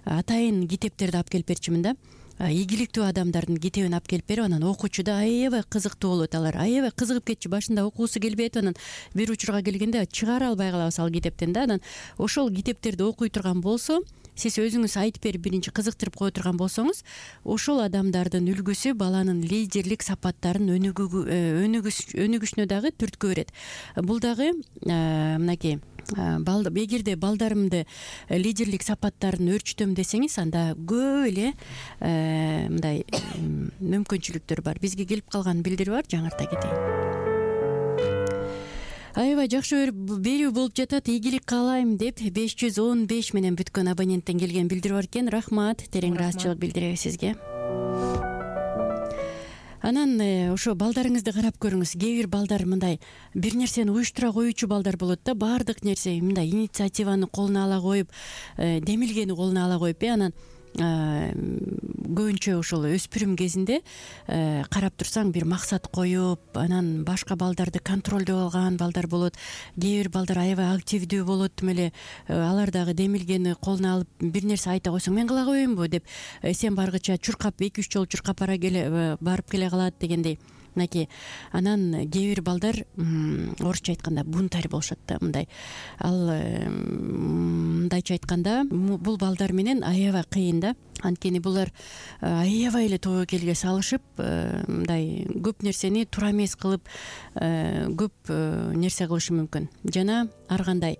атайын китептерди алып келип берчүмүн да. Ийгиликтүү адамдардын китебин алып келип берип, анан окуучу да аябай кызыктуу болот. Алар аябай кызыгып кетчү. Башында окуусу келбей атып, анан бир учурга келгенде чыгара албай калабыз ал китептен да. Анан ошол китептерди окуй турган болсо, сиз өзүңүз айтып берип биринчи кызыктырып кое турган болсоңуз, ошол адамдардын үлгүсү баланын лидерлик сапаттарын өнүгүшүнө дагы түрткү берет. Бул дагы мынакей эгерде балдарымды лидерлик сапаттарын өөрчүтөм десеңиз, анда көп эле мындай мүмкүнчүлүктөр бар. Бизге келип калган билдирүү бар, жаңырта кетейин. Аябай жакшы берүү болуп жатат. Ийгилик каалайм деп 515 менен бүткөн абоненттен келген билдирүү бар экен. Рахмат, терең ыраазычылык билдиребиз сизге. Анан ошо балдарыңызды карап көрүңүз. Кээ бир балдар мындай бир нерсени уюштура коюучу балдар болот да. Баардык нерсе мындай инициативаны колуна ала коюп, демилгени колуна ала коюп, анан көбүнчө ошол өспүрүм кезинде карап турсаң бир максат коюп, анан башка балдарды контролдоп алган балдар болот. Кээ бир балдар аябай активдүү болот, тим эле алар дагы демилгени колуна алып бир нерсе айта койсоң, мен кыла коеюнбу деп сен баргыча чуркап 2-3 жолу чуркап барып келе калат дегендей. Мынакей анан кээ бир балдар орусча айтканда бунтарь болушат да. Мындай мындайча айтканда бул балдар менен аябай кыйын да. Анткени булар аябай эле тобокелге салышып, мындай көп нерсени туура эмес кылып, көп нерсе кылышы мүмкүн. Жана ар кандай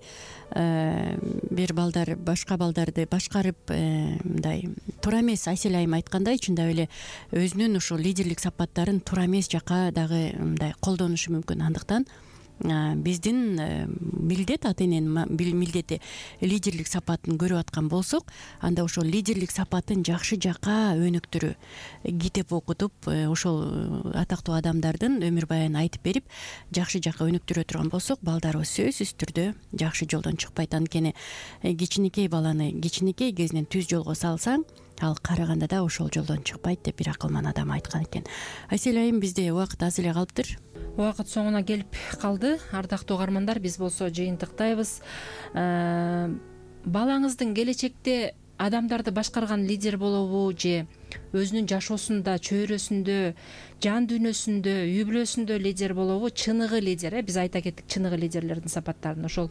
бир балдар башка балдарды башкарып, мындай туура эмес, Айсел айым айткандай, чындап эле өзүнүн ушул лидерлик сапаттарын туура эмес жака дагы мындай колдонушу мүмкүн. Андыктан биздин милдет, ата эненин милдети лидерлик сапатын көрүп аткан болсок, анда ошол лидерлик сапатын жакшы жака өнүктүрүү, китеп окутуп, ошол атактуу адамдардын өмүр баянын айтып берип, жакшы жака өнүктүрө турган болсок, балдарыбыз сөзсүз түрдө жакшы жолдон чыкпайт. Анткени кичинекей баланы кичинекей кезинен түз жолго салсаң, ал караганда да ошол жолдон чыкпайт деп бир акылман адам айткан экен. Айсел айым, бизде убакыт аз эле калыптыр. Убакыт соңуна келип калды. Ардактуу угармандар, биз болсо жыйынтыктайбыз. Балаңыздын келечекте адамдарды башкарган лидер болобу же өзүнүн жашоосунда, чөйрөсүндө, жан дүйнөсүндө, үй бүлөсүндө лидер болобу? Чыныгы лидер, биз айта кеттик чыныгы лидерлердин сапаттарын. Ошол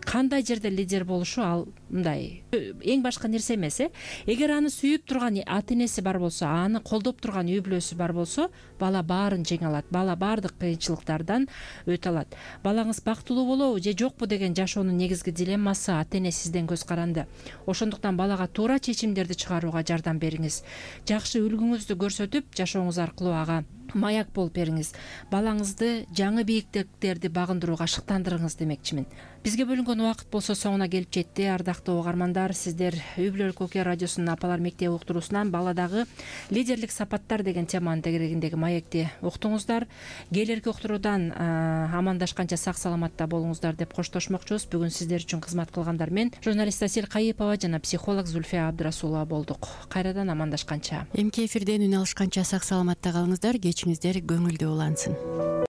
кандай жерде лидер болушу ал мындай эң башка нерсе эмес. Эгер аны сүйүп турган ата энеси бар болсо, аны колдоп турган үй бүлөсү бар болсо, бала баарын жеңе алат, бала баардык кыйынчылыктардан өтө алат. Балаңыз бактылуу болобу же жокпу деген жашоонун негизги дилеммасы ата эне сизден көз каранды. Ошондуктан балага туура чечимдерди чыгарууга жардам бериңиз. Жакшы үлгүңүздү көрсөтүп, жашооңуз аркылуу ага маяк болуп бериңиз. Балаңызды жаңы бийиктиктерди багындырууга шыктандырыңыз демекчимин. Бизге бөлүнгөн убакыт болсо соңуна келип жетти. Ардактуу угармандар, сиздер Үй бүлөлүк окуя радиосунун Апалар мектеби уктуруусунан баладагы лидерлик сапаттар деген теманын тегерегиндеги маекти уктуңуздар. Келерки уктуруудан амандашканча сак саламатта болуңуздар деп коштошмокчубуз. Бүгүн сиздер үчүн кызмат кылгандар мен журналист Асель Кайыпова жана психолог Зульфия Абдрасулова болдук. Кайрадан амандашканча. Эмки эфирден үн алышканча сак саламатта калыңыздар. Кечиңиздер көңүлдүү улансын.